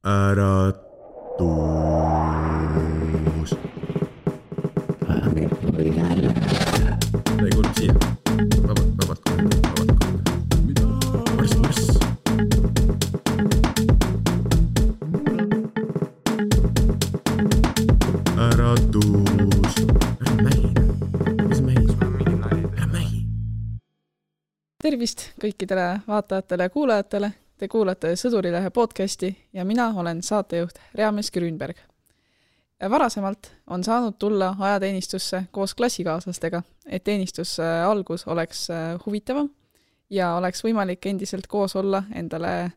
Äratus. Ei kuule siia. Vabalt. Mida? Marss. Äratus. Ära mähine. Mis mähis? Ära mähi. Tervist kõikidele vaatajatele ja kuulajatele. Te kuulate Sõdurilehe podcasti ja mina olen saatejuht Reamees Grünberg. Varasemalt on saanud tulla ajateenistusse koos klassikaaslastega, et teenistuse algus oleks huvitavam ja oleks võimalik endiselt koos olla endale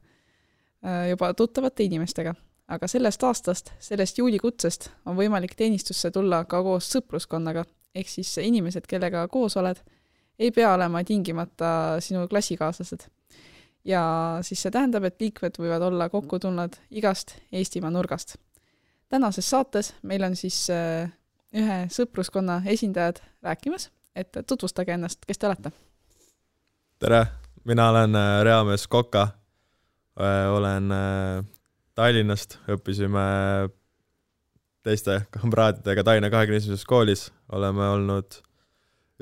juba tuttavate inimestega. Aga sellest aastast, sellest juulikutsest on võimalik teenistusse tulla ka koos sõpruskonnaga, ehk siis inimesed, kellega koos oled, ei pea olema tingimata sinu klassikaaslased. Ja siis see tähendab, et liikmed võivad olla kokku tulnud igast Eestimaa nurgast. Tänases saates meil on siis ühe sõpruskonna esindajad rääkimas, et tutvustage ennast, kes te olete. Tere, mina olen Reamees Koka, olen Tallinnast, õppisime teiste kamraadidega Tallinna 21. koolis, oleme olnud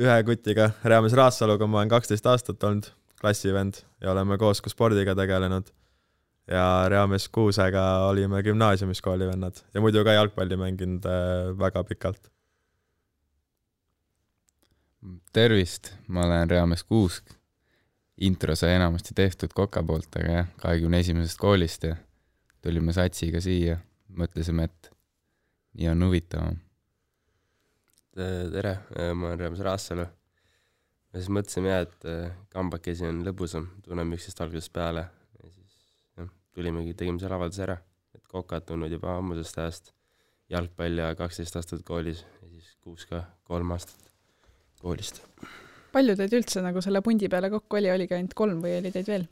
ühe kutiga Reamees Raassaluga, ma olen 12 aastat olnud klassivend ja oleme koos ka spordiga tegelenud ja Reamees Kuusega olime gümnaasiumis koolivennad ja muidu ka jalgpalli mänginud väga pikalt. Tervist, ma olen Reamees Kuusk. Intro sai enamasti tehtud Koka poolt, aga 21. koolist ja tulime satsiga siia. Mõtlesime, et nii on huvitavam. Tere, ma olen Reamees Raassalu. Me siis mõtlesime, et kambakesi on lõbusam, tunneme üksteist algusest peale ja siis tulimegi, tegime selle avalduse ära, et Kokat tunnud juba ammusest ajast jalgpall ja 12 aastat koolis ja siis 6 aastat koolist. Palju teid üldse nagu selle pundi peale kokku oli ka ainult 3 või oli teid veel?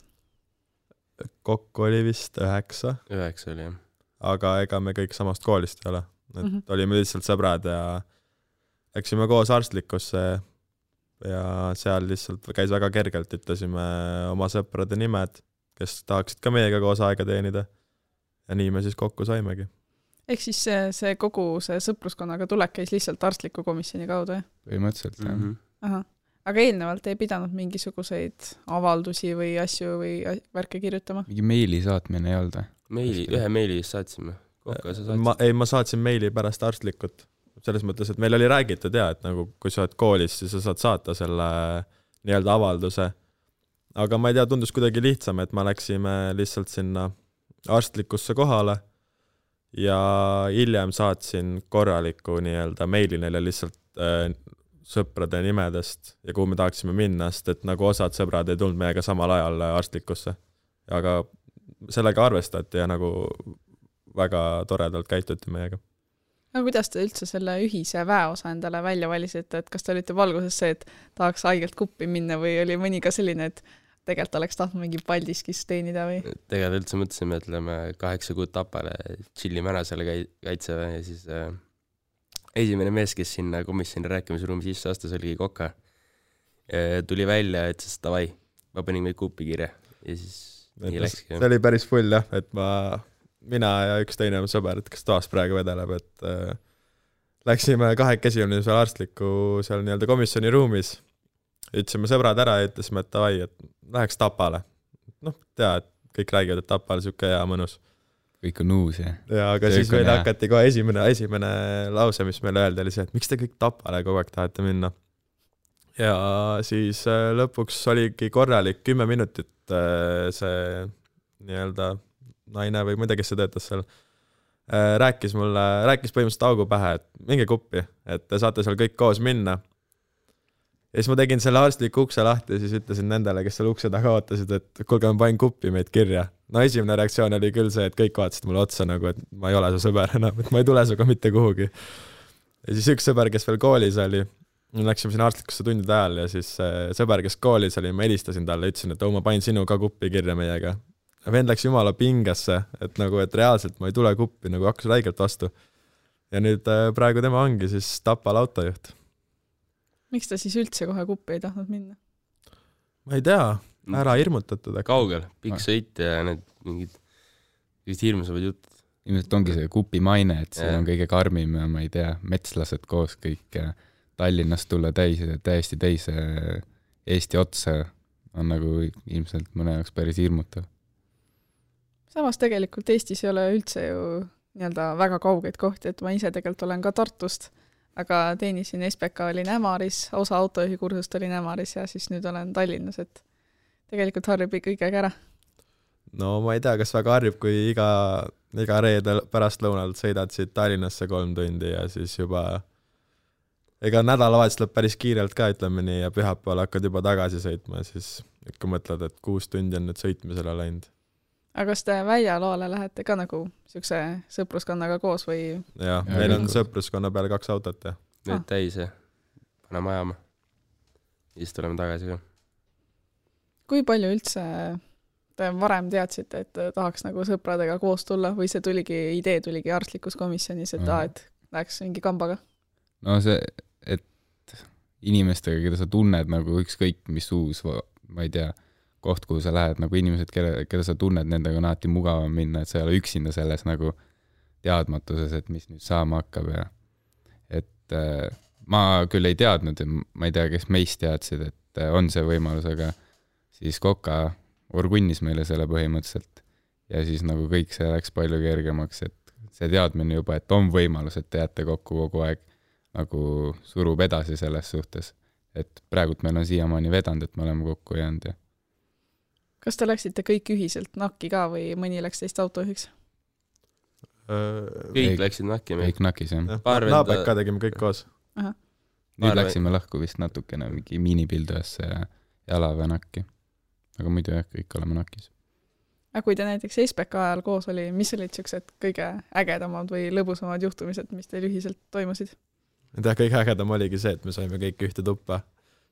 Kokku oli vist 9. 9 oli, jah. Aga ega me kõik samast koolist ei ole. Et olime lihtsalt sõbrad ja läksime koos arstlikusse ja seal lihtsalt käis väga kergelt, ütlesime oma sõprade nimed, kes tahaksid ka meiega koos aega teenida. Ja nii me siis kokku saimegi. Ehk siis see kogu see sõpruskonnaga tulek käis lihtsalt arstliku komisjoni kaudu, jah? Põhimõtteliselt, jah. Aha. Aga eelnevalt ei pidanud mingisuguseid avaldusi või asju või värke kirjutama? Mingi meili saatmine ei olnud? Ühe meili saatsime. Ma saatsin meili pärast arstlikut. Selles mõttes, et meil oli räägitud et nagu, kui sa oled koolis, siis sa saad saata selle nii-öelda avalduse. Aga ma ei tea, tundus kuidagi lihtsam, et me läksime lihtsalt sinna arstlikusse kohale ja hiljem saatsin korraliku nii-öelda meili neile lihtsalt sõprade nimedest ja kuhu me tahaksime minna, sest et nagu osad sõbrad ei tulnud meiega samal ajal arstlikusse. Aga sellega arvestati ja nagu väga toredalt käituti meiega. Aga kuidas te üldse selle ühise väeosa endale välja valisite, et kas te olite valguses see, et tahaks haigelt kuppi minna või oli mõni ka selline, et tegelikult oleks tahtnud mingi Paldiskis teenida või? Tegelikult üldse mõtlesime, et lähme 8 kuud Tapale, chillime ära selle kaitseväe ja siis esimene mees, kes sinna komisjoni rääkimisruumi sisse astus, oligi Koka. Tuli välja, et siis davai, ma panin meid kuppi kirja ja siis nii läkski. See oli päris full, jah, et mina ja üks teine sõber, et kes toas praegu vedeleb, et läksime 2 seal arstliku seal nii-öelda komisjoni ruumis. Ütlesime sõbrad ära ja ütlesime, et davai, et läheks Tapale. Tea, et kõik räägivad, et Tapale siuke hea mõnus. Kõik on uus, jah. Ja, aga siis meil hakati kohe esimene lause, mis meile öelda, oli see, et miks te kõik Tapale kogu aeg tahate minna. Ja siis lõpuks oligi korralik 10 minutit see nii-öelda naine või muide, kes see töötas seal, rääkis põhimõtteliselt augu pähe, et minge kuppi, et te saate seal kõik koos minna. Ja siis ma tegin selle arstliku ukse lahti ja siis ütlesin nendele, kes seal ukse taga ootasid, et kuulge, ma panin kuppi meid kirja. No esimene reaktsioon oli küll see, et kõik vaatasid mulle otsa nagu, et ma ei ole su sõber enam, et ma ei tule suga mitte kuhugi. Ja siis üks sõber, kes veel koolis oli, läksime siin arstlikusse tundide ajal ja siis sõber, kes koolis oli, ma helistasin talle, ütlesin, et ma panin sinu ka kuppi kirja meiega. Vend läks jumala pingesse, et nagu, et reaalselt ma ei tule kuppi, nagu hakkas räigelt vastu. Ja nüüd praegu tema ongi siis Tapal autojuht. Miks ta siis üldse kohe kuppi ei tahtnud minna? Ma ei tea, ära hirmutatud. Kaugel, pikk sõit ja need mingid just hirmsavad jutud. ilmselt ongi see kupi maine, et see on kõige karmim ja ma ei tea, metslased koos kõik ja Tallinnast tulla täiesti teise Eesti otsa on nagu ilmselt mõne jaoks päris hirmutav. Samas tegelikult Eestis ei ole üldse ju nii-öelda väga kaugeid kohti, et ma ise tegelikult olen ka Tartust, aga teenisin SPK olin Ämaris, osa autojuhikursust olin Ämaris ja siis nüüd olen Tallinnas, et tegelikult harjub kõigega ära. No ma ei tea, kas väga harjub, kui iga reede pärast lõunalt sõidad siit Tallinnasse 3 tundi ja siis juba ega nädalavahetus läheb päris kiirelt ka, ütleme nii, ja pühapäeval hakkad juba tagasi sõitma ja siis ikka mõtled, et 6 tundi on nüüd sõitmisele läinud. Aga kas te väljaloale lähete ka nagu siukse sõpruskonnaga koos või? Jah, meil on sõpruskonna peale 2 autot ja. Nüüd täis ja paneme ajama. Ja siis tuleme tagasi ka. Kui palju üldse te varem teadsite, et tahaks nagu sõpradega koos tulla või see idee tuligi arstlikus komisjonis, et et läheks mingi kambaga? No see, et inimestega, keda sa tunned nagu ükskõik mis uus, ma ei tea, koht, kuhu sa lähed, nagu inimesed, keda sa tunned, nendega on alati mugavam minna, et sa ei ole üksinda selles nagu teadmatuses, et mis nüüd saama hakkab ja et ma küll ei teadnud, ma ei tea, kes meist teadsid, et on see võimalus, aga siis Koka orgunnis meile selle põhimõtteliselt ja siis nagu kõik see läks palju kergemaks, et see teadmine juba, et on võimalus, et te jääte kokku kogu aeg nagu surub edasi selles suhtes, et praegult meil on siiamaani vedanud, et me oleme kokku jäänud ja kas te läksite kõik ühiselt nakki ka või mõni läks teist autojuhiks? Kõik läksid nakki. Kõik nakis, jah. Naabek ka tegime kõik koos. Nüüd läksime lahku vist natukene mingi miinipildujasse ja Jalaväe nakki. Aga muidu jah, kõik oleme nakis. Aga kui te näiteks SPK ajal koos oli, mis olid siuksed kõige ägedamad või lõbusamad juhtumised, mis teil ühiselt toimusid? Kõige ägedam oligi see, et me saime kõik ühte tuppa.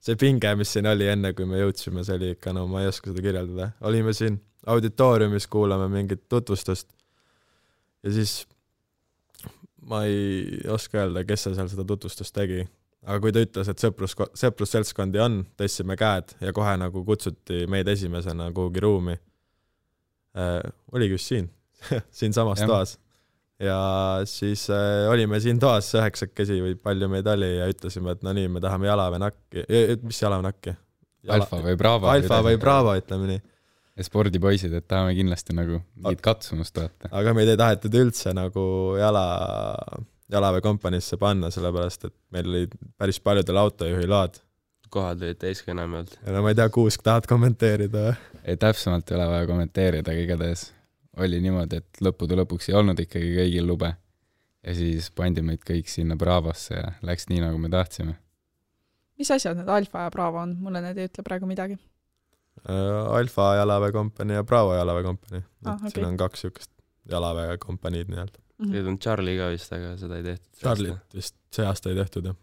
See pinge, mis siin oli enne, kui me jõudsime, see oli ikka, no ma ei oska seda kirjeldada. Olime siin auditooriumis, kuulame mingit tutvustust ja siis ma ei oska öelda, kes seal seda tutvustust tegi. Aga kui ta ütles, et sõprusseltskondi on, tõstsime käed ja kohe nagu kutsuti meid esimesena kuhugi ruumi. Oligi just siin, siin samas toas. Ja siis olime siin toas 9 või palju meid oli ja ütlesime, et no nii, me tahame Jalaväe nakki. Mis Jalaväe nakki? Alfa või Bravo. Alfa või Bravo, ütleme nii. Ja spordipoisid, et tahame kindlasti nagu mingit katsumust vaata. Aga meid ei tahetud üldse nagu Jalaväe kompanisse panna, sellepärast, et meil oli päris paljudel autojuhi load. Kohad olid täiska enam olnud. Ja no ma ei tea, Kuusk tahad kommenteerida? Ei, täpsemalt ei ole vaja kommenteerida, aga igatahes oli niimoodi, et lõppude lõpuks ei olnud ikkagi kõigil lube ja siis pandi meid kõik sinna Bravosse ja läks nii, nagu me tahtsime. Mis asjad need Alfa ja Bravo on? Mulle need ei ütle praegu midagi. Alfa Jalaväe kompanii ja Bravo Jalaväe kompanii. Okay. Siin on 2 siukest Jalaväe kompaniid nii-öelda. Need on Charlie ka vist, aga seda ei tehtud. Charlie vist see aasta ei tehtud, jah.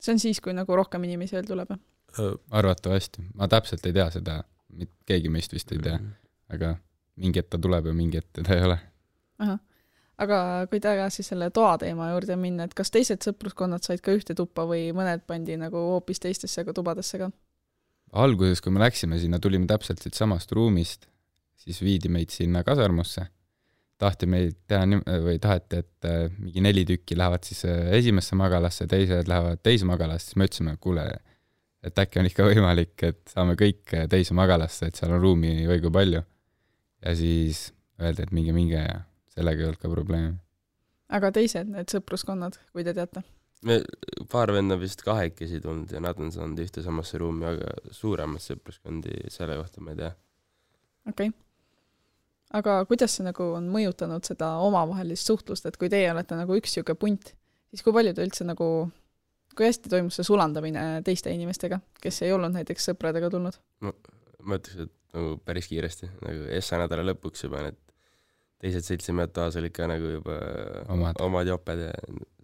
See on siis, kui nagu rohkem inimesi veel tuleb? Arvatavasti. Ma täpselt ei tea seda, keegi meist vist ei tea, aga mingi ette tuleb ja mingi ette ta ei ole. Aha. Aga kui tagasi selle toa teema juurde minna, et kas teised sõpruskonnad said ka ühte tuppa või mõned pandi nagu hoopis teistesse tubadesse ka? Alguses, kui me läksime sinna, tulime täpselt siit samast ruumist, siis viidi meid sinna kasarmusse. Tahti meid teha või taheti, et mingi 4 tükki lähevad siis esimesse magalasse, teised lähevad teise magalasse, siis me ütlesime, kuule, et äkki on ikka võimalik, et saame kõik teise magalasse, et seal on ruumi või kui palju. Ja siis öeldi, et minge ja sellega ei olnud ka probleemi. Aga teised need sõpruskonnad, kui te teate? Me paar venda vist 2 tulnud ja nad on saanud ühte samasse ruumi, aga suuremad sõpruskondi selle kohta ma ei tea. Okei. Aga kuidas see nagu on mõjutanud seda omavahelist suhtlust, et kui teie olete nagu üks siuke punt, siis kui palju te üldse nagu, kui hästi toimus see sulandamine teiste inimestega, kes ei olnud näiteks sõpradega tulnud? Ma ütleks, et nagu päris kiiresti, nagu essa nädala lõpuks juba need teised seltsimehed taas olid ka nagu juba omad joped ja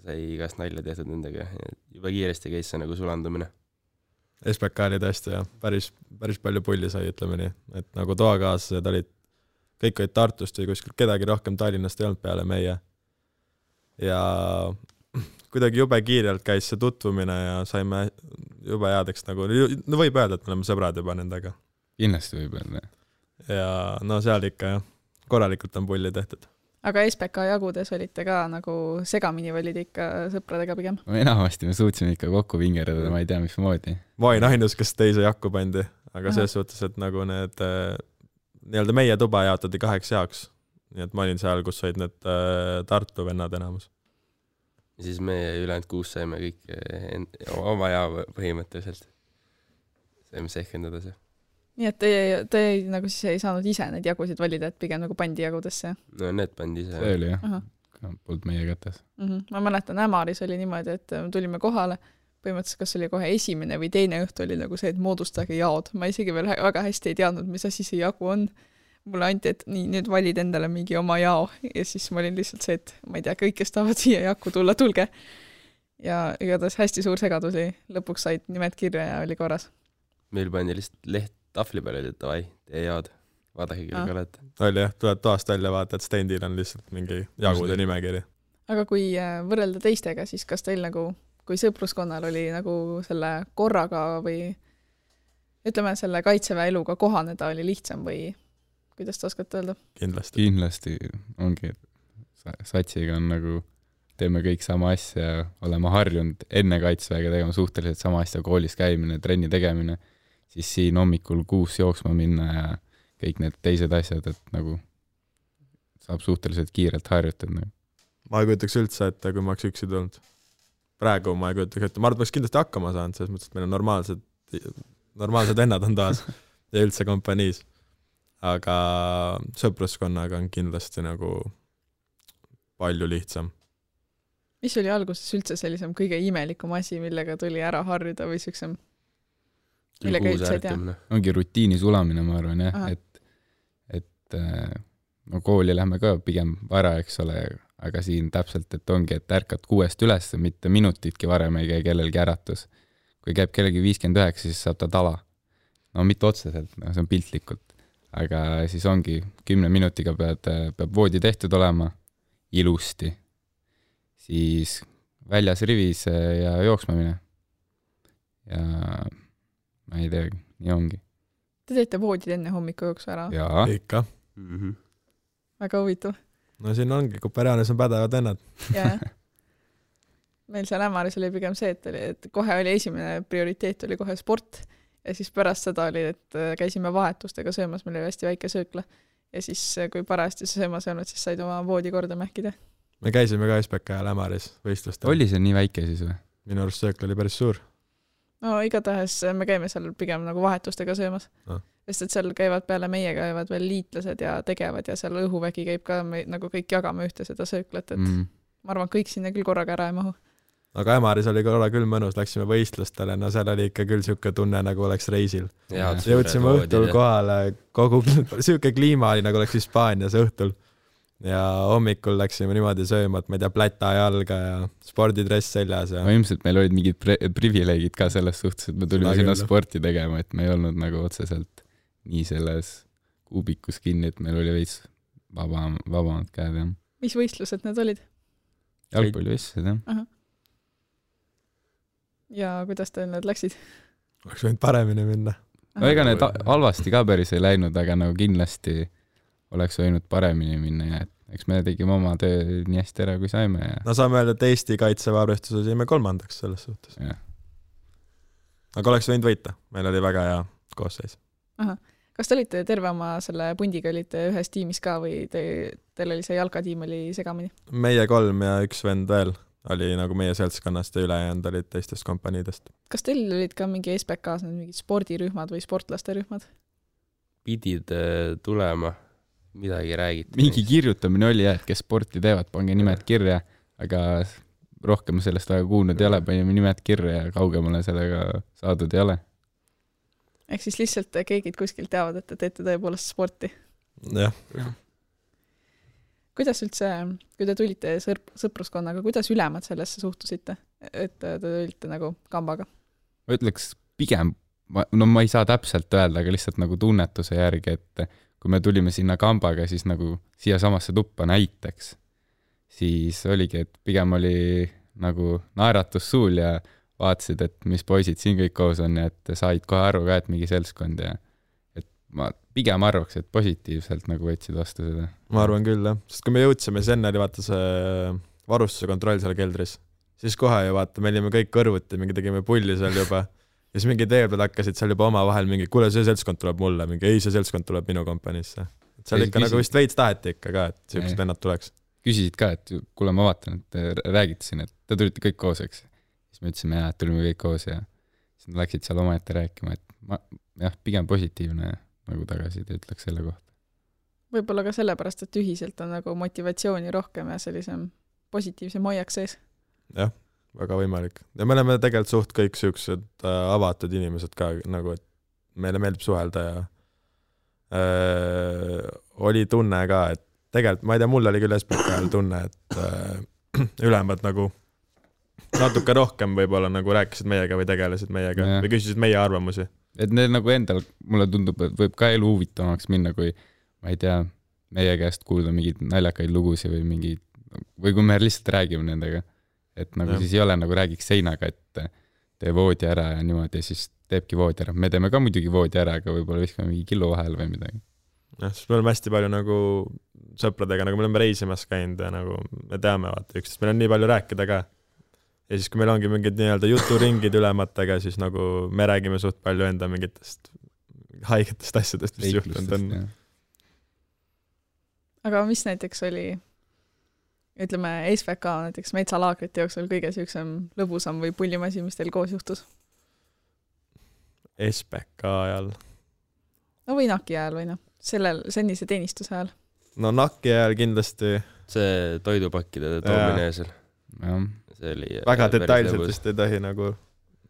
sai igast nalja tehtud nendega. Juba kiiresti käis see nagu sulandumine. SPK oli tõesti jah, päris palju pulli sai, ütleme nii. Et nagu toakaaslased olid, kõik olid Tartust või kuskil kedagi rohkem Tallinnast ei olnud peale meie. Ja kuidagi jube kiirelt käis see tutvumine ja saime jube headeks nagu, no võib öelda, et me oleme sõbrad juba nendega. Kindlasti võib öelda. Ja no seal ikka jah, korralikult on pulli tehtud. aga SPK jagudes olite ka nagu segamini valid ikka sõpradega pigem? enamasti me suutsime ikka kokku vingerdada, ma ei tea, mismoodi. ma olin ainus, kes teise jakku pandi, aga selles suhtes, et nagu need nii-öelda meie tuba jaotati 2 jaoks. Nii et ma olin seal, kus olid need Tartu vennad enamus. Ja siis me ülejäänud 6 saime kõik oma jao põhimõtteliselt. Saime sehkendada see. Nii et te nagu siis ei saanud ise neid jagusid valida, et pigem nagu pandi jagudesse? No need pandi ise. See oli jah, polnud meie kätes. Ma mäletan, Ämaris oli niimoodi, et tulime kohale, põhimõtteliselt kas oli kohe esimene või teine õhtu oli nagu see, et moodustage jaod. Ma isegi veel väga hästi ei teadnud, mis asi see jagu on. Mulle anti, et nii, nüüd valid endale mingi oma jao ja siis ma olin lihtsalt see, et ma ei tea, kõik, kes tahavad siia jakku tulla, tulge. Ja igatahes hästi suur segadus oli. Lõpuks said nimed kirja ja oli korras. Meil pandi lihtsalt leht tahvli peale, et davai, tee jaod. Vaadake kõik olete. Oli jah, tuled toast välja, vaata, et stendil on lihtsalt mingi jagude nimekiri. Aga kui võrrelda teistega, siis kas teil nagu, kui sõpruskonnal oli nagu selle korraga või ütleme, selle kaitseväe eluga kohaneda oli lihtsam või kuidas te oskate öelda? Kindlasti ongi, satsiga on nagu, teeme kõik sama asja, oleme harjunud enne kaitseväega tegema suhteliselt sama asja, koolis käimine, trenni tegemine, siis siin hommikul 6 jooksma minna ja kõik need teised asjad, et nagu saab suhteliselt kiirelt harjutada. Ma ei kujutaks üldse, et kui ma oleks üksi tulnud. Praegu ma ei kujutaks, et ma arvan, et kindlasti hakkama saanud, selles mõttes, et meil on normaalsed vennad on taas ja üldse kompaniis. Aga sõpruskonnaga on kindlasti nagu palju lihtsam. Mis oli alguses üldse sellisem kõige imelikum asi, millega tuli ära harjuda või süksem? Millega üldse ei tea? Ongi rutiini sulamine, ma arvan, jah, et no kooli lähme ka pigem vara, eks ole, aga siin täpselt, et ongi, et ärkad 6 üles, mitte minutitki varem ei käi kellelgi äratus. Kui käib kellegi 59, siis saab ta tala. No mitte otseselt, no, see on piltlikult. Aga siis ongi 10 minutiga peab voodi tehtud olema ilusti. Siis väljas rivis ja jooksma mine. Ja ma ei tea, nii ongi. Te teete voodid enne hommiku jooksu ära? Jaa. Ikka. Väga huvitav. No siin ongi, kui perjaanis on pädevad ennad. Jaa. Meil seal Ämaris oli pigem see, et kohe oli esimene prioriteet oli kohe sport ja siis pärast seda oli, et käisime vahetustega söömas, meil oli hästi väike söökla ja siis kui parajasti see söömas olnud, siis said oma voodi korda mähkida. Me käisime ka SPK ja Ämaris võistlustel. Oli see nii väike siis või? Minu arust söökla oli päris suur. No igatahes me käime seal pigem nagu vahetustega söömas. Sest et seal käivad peale meie käivad veel liitlased ja tegevad ja seal õhuvägi käib ka, nagu kõik jagame ühte seda sööklat, et ma arvan, kõik sinna küll korraga ära ei mahu. Aga Ämaris oli korra küll mõnus, läksime võistlustele, no seal oli ikka küll siuke tunne, nagu oleks reisil. Jõudsime õhtul kohale, kogu siuke kliima oli, nagu oleks Hispaanias õhtul. Ja hommikul läksime niimoodi sööma, et ma ei tea, pläta jalga ja spordidress seljas. Ja... No ilmselt meil olid mingid privileegid ka selles suhtes, et me tulime sinna sporti tegema, et me ei olnud nagu otseselt nii selles kuubikus kinni, et meil oli veits vabamad käed. Ja. Mis võistlused need olid? Jalgpallivõistlused, jah. Aha. Ja kuidas teil need läksid? Oleks võinud paremini minna. No ega need halvasti ka päris ei läinud, aga nagu kindlasti oleks võinud paremini minna ja eks me tegime oma töö nii hästi ära, kui saime. Ja... No saame öelda, et Eesti kaitseväearvestuses jäime 3. selles suhtes. Ja. Aga oleks võinud võita. Meil oli väga hea koosseis. Aha. Kas te olite terve oma selle pundiga, olite ühes tiimis ka või teil oli see jalkatiim oli segamini? Meie 3 ja 1 vend veel oli nagu meie seltskonnast ja ülejäänud olid teistest kompaniidest. Kas teil olid ka mingi SPK-s mingid spordirühmad või sportlaste rühmad? Pidid tulema, midagi räägiti. Mingi kirjutamine oli, et kes sporti teevad, pange nimed kirja, aga rohkem sellest väga kuulnud ei ole, panime nimed kirja ja kaugemale sellega saadud ei ole. Ehk siis lihtsalt keegid kuskil teavad, et te teete tõepoolest sporti. Jah. Kuidas üldse, kui te tulite sõpruskonnaga, kuidas ülemad sellesse suhtusite, et te tulite nagu kambaga? Ma ütleks pigem, no ma ei saa täpselt öelda, aga lihtsalt nagu tunnetuse järgi, et kui me tulime sinna kambaga, siis nagu siia samasse tuppa näiteks, siis oligi, et pigem oli nagu naeratus suul ja vaatasid, et mis poisid siin kõik koos on ja et said kohe aru ka, et mingi seltskond ja et ma pigem arvaks, et positiivselt nagu võtsid vastu seda. Ma arvan küll, jah. Sest kui me jõudsime, siis enne oli vaata see varustuse kontroll seal keldris, siis kohe ju vaata, me olime kõik kõrvuti, mingi tegime pulli seal juba ja siis mingi tee peal hakkasid seal juba oma vahel mingi, kuule, see seltskond tuleb mulle, mingi ei, see seltskond tuleb minu kompaniisse. Et seal ikka nagu vist veits taheti ikka ka, et siuksed vennad tuleks. Küsisid ka, et kuule, ma vaatan, et te räägite siin, et te tulite kõik koos, eks. Siis me ütlesime, et tulime kõik koos ja siis nad läksid seal omaette rääkima, et pigem positiivne nagu tagasid ütleks selle kohta. Võib-olla ka sellepärast, et ühiselt on nagu motivatsiooni rohkem ja sellisem positiivsem hoiak sees. Jah, väga võimalik. Ja me oleme tegelikult suht kõik siuksed avatud inimesed ka, nagu et meile meeldib suhelda ja oli tunne ka, et tegelikult, ma ei tea, mul oli küll SPK ajal tunne, et ülemad nagu natuke rohkem võib-olla nagu rääkisid meiega või tegelesid meiega või küsisid meie arvamusi. Et need nagu endal, mulle tundub, et võib ka elu huvitavamaks minna, kui ma ei tea, meie käest kuulda mingeid naljakaid lugusid või kui me lihtsalt räägime nendega. Et nagu siis ei ole nagu räägiks seinaga, et tee voodi ära ja niimoodi ja siis teebki voodi ära. Me teeme ka muidugi voodi ära, aga võib-olla viskame mingi killu vahel või midagi. Siis me oleme hästi palju nagu sõpradega, nagu me oleme reisimas käinud ja nagu me teame vaata üksteist, meil on nii palju rääkida ka. Ja siis kui meil ongi mingid nii-öelda juturingid ülematega, siis nagu me räägime suht palju enda mingitest haigetest asjadest, mis juhtunud on. Aga mis näiteks oli, ütleme, SVK näiteks metsalaagrite jooksul kõige süüksem lõbusam või pullimasi, mis teil koos juhtus? SPK ajal? No või NAK-i ajal või noh, sennise teenistuse ajal? No NAK-i ajal kindlasti. See toidupakkide toomine seal. See oli väga detailselt vist ei tohi nagu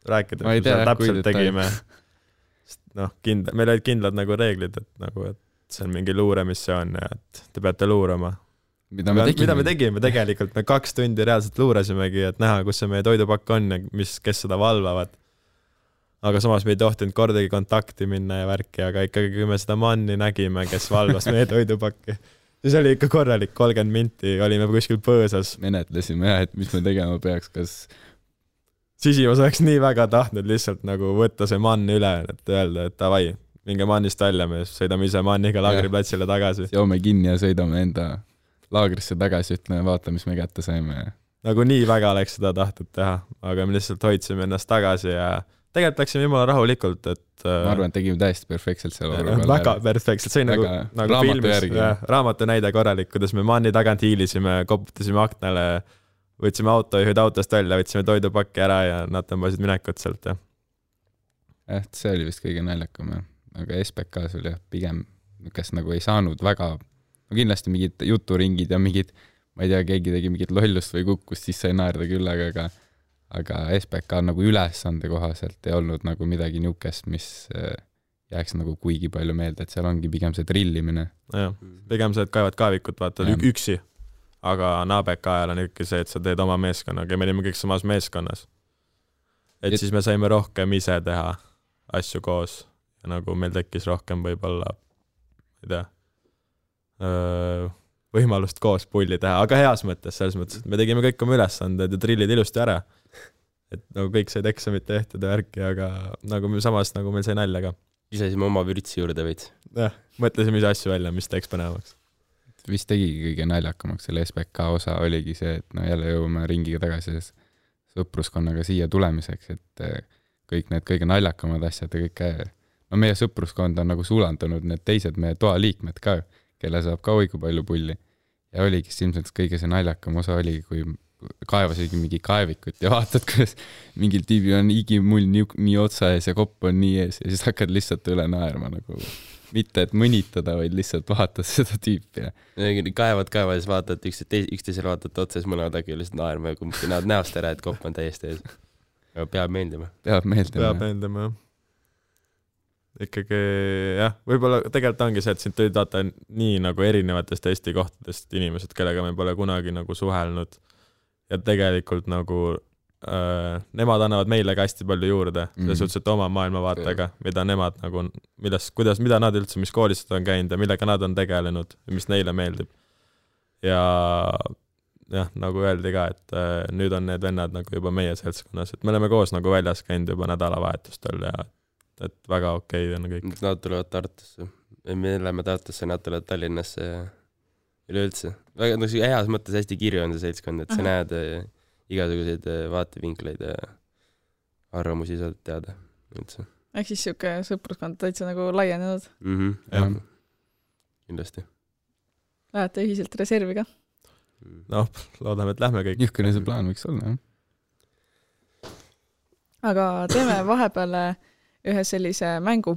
rääkida, mis me täpselt tegime. Noh, meil olid kindlad nagu reeglid, et nagu, et see on mingi luuremissioon ja et te peate luurama. Mida me tegime tegelikult? Me 2 tundi reaalselt luurasimegi, et näha, kus see meie toidupakk on ja kes seda valvavad. Aga samas me ei tohtinud kordagi kontakti minna ja värki, aga ikkagi kui me seda manni nägime, kes valvas meie toidupakki, siis oli ikka korralik 30 minti, olime kuskil põõsas. Menetlesime jah, et mis me tegema peaks, kas Sisimas oleks nii väga tahtnud lihtsalt nagu võtta see mann üle, et öelda, et davai, minge mannist välja, me sõidame ise manniga laagriplatsile tagasi. Joome kinni ja sõidame enda laagrisse tagasi, ütleme, vaata, mis me kätte saime. Nagu nii väga oleks seda tahtnud teha, aga me lihtsalt hoidsime ennast tagasi ja tegelikult läksime jumala rahulikult, et ma arvan, et tegime täiesti perfektselt selle väga perfektselt, see oli nagu filmis raamatu näide korralik, kuidas me manni tagant hiilisime, koputasime aknale, võtsime autojuhid autost välja, võtsime toidupakki ära ja nad tõmbasid minekut sealt. See oli vist kõige naljakam, aga SPK-s oli pigem, kes nagu ei saanud väga, no kindlasti mingid juturingid ja mingid, ma ei tea, keegi tegi mingit lollust või kukkust, siis sai naerda küll, aga SPK nagu ülesande kohaselt ei olnud nagu midagi niukest, mis jääks nagu kuigi palju meelde, et seal ongi pigem see drillimine. Pigem see, et kaevad kaevikut, vaata üksi, aga NABK ajal on ikkagi see, et sa teed oma meeskonnaga ja me olime kõik samas meeskonnas. Et siis me saime rohkem ise teha asju koos ja nagu meil tekkis rohkem võib-olla, ei tea, võimalust koos pulli teha, aga heas mõttes, selles mõttes, et me tegime kõik oma ülesanded ja drillid ilusti ära. Et nagu kõik said eksamit tehtud ja värki, aga nagu samas nagu meil sai nalja ka. Isesime oma vürtsi juurde veits. Mõtlesime ise asju välja, mis teeks põnevaks. Vist tegigi kõige naljakamaks selle SPK osa oligi see, et jälle jõuame ringiga tagasi sõpruskonnaga siia tulemiseks, et kõik need kõige naljakamad asjad ja kõik, no meie sõpruskond on nagu sulandunud need teised meie toa liikmed ka, kelle saab ka õigu palju pulli. Ja oligi ilmselt kõige see naljakam osa oli, kui kaevasidki mingi kaevikut ja vaatad, kuidas mingil tiibi on igimull nii otsa ees ja kopp on nii ees ja siis hakkad lihtsalt üle naerma nagu mitte, et mõnitada, vaid lihtsalt vaatad seda tüüpi. Kaevad ja siis vaatad üksteisele vaatad otsa, siis mõlemad äkki lihtsalt naerma ja kumbki näod näost ära, et kopp on täiesti ees. Peab meeldima. Peab meeldima. Ikkagi jah, võib-olla tegelikult ongi see, et sind tõid vaata nii nagu erinevatest Eesti kohtadest inimesed, kellega me pole kunagi nagu suhelnud ja tegelikult nagu nemad annavad meile ka hästi palju juurde, selles suhtes, et oma maailmavaatega, mida nemad nagu, mida nad üldse, mis koolis on käinud ja millega nad on tegelenud, mis neile meeldib. Ja jah, nagu öeldi ka, et nüüd on need vennad nagu juba meie seltskonnas, et me oleme koos nagu väljas käinud juba nädalavahetustel ja et väga okei on kõik. Nad tulevad Tartusse. Me läheme Tartusse, nad tulevad Tallinnasse ja üleüldse. Väga heas mõttes hästi kirju on see seltskond, et sa näed igasuguseid vaatevinkleid ja arvamusi saad teada. Üldse. Ehk siis siuke sõpruskond täitsa nagu laienenud. Jah. Kindlasti. Lähete ühiselt reservi ka? Noh, loodame, et lähme kõik. Niisugune see plaan võiks olla, jah. Aga teeme vahepeal ühe sellise mängu,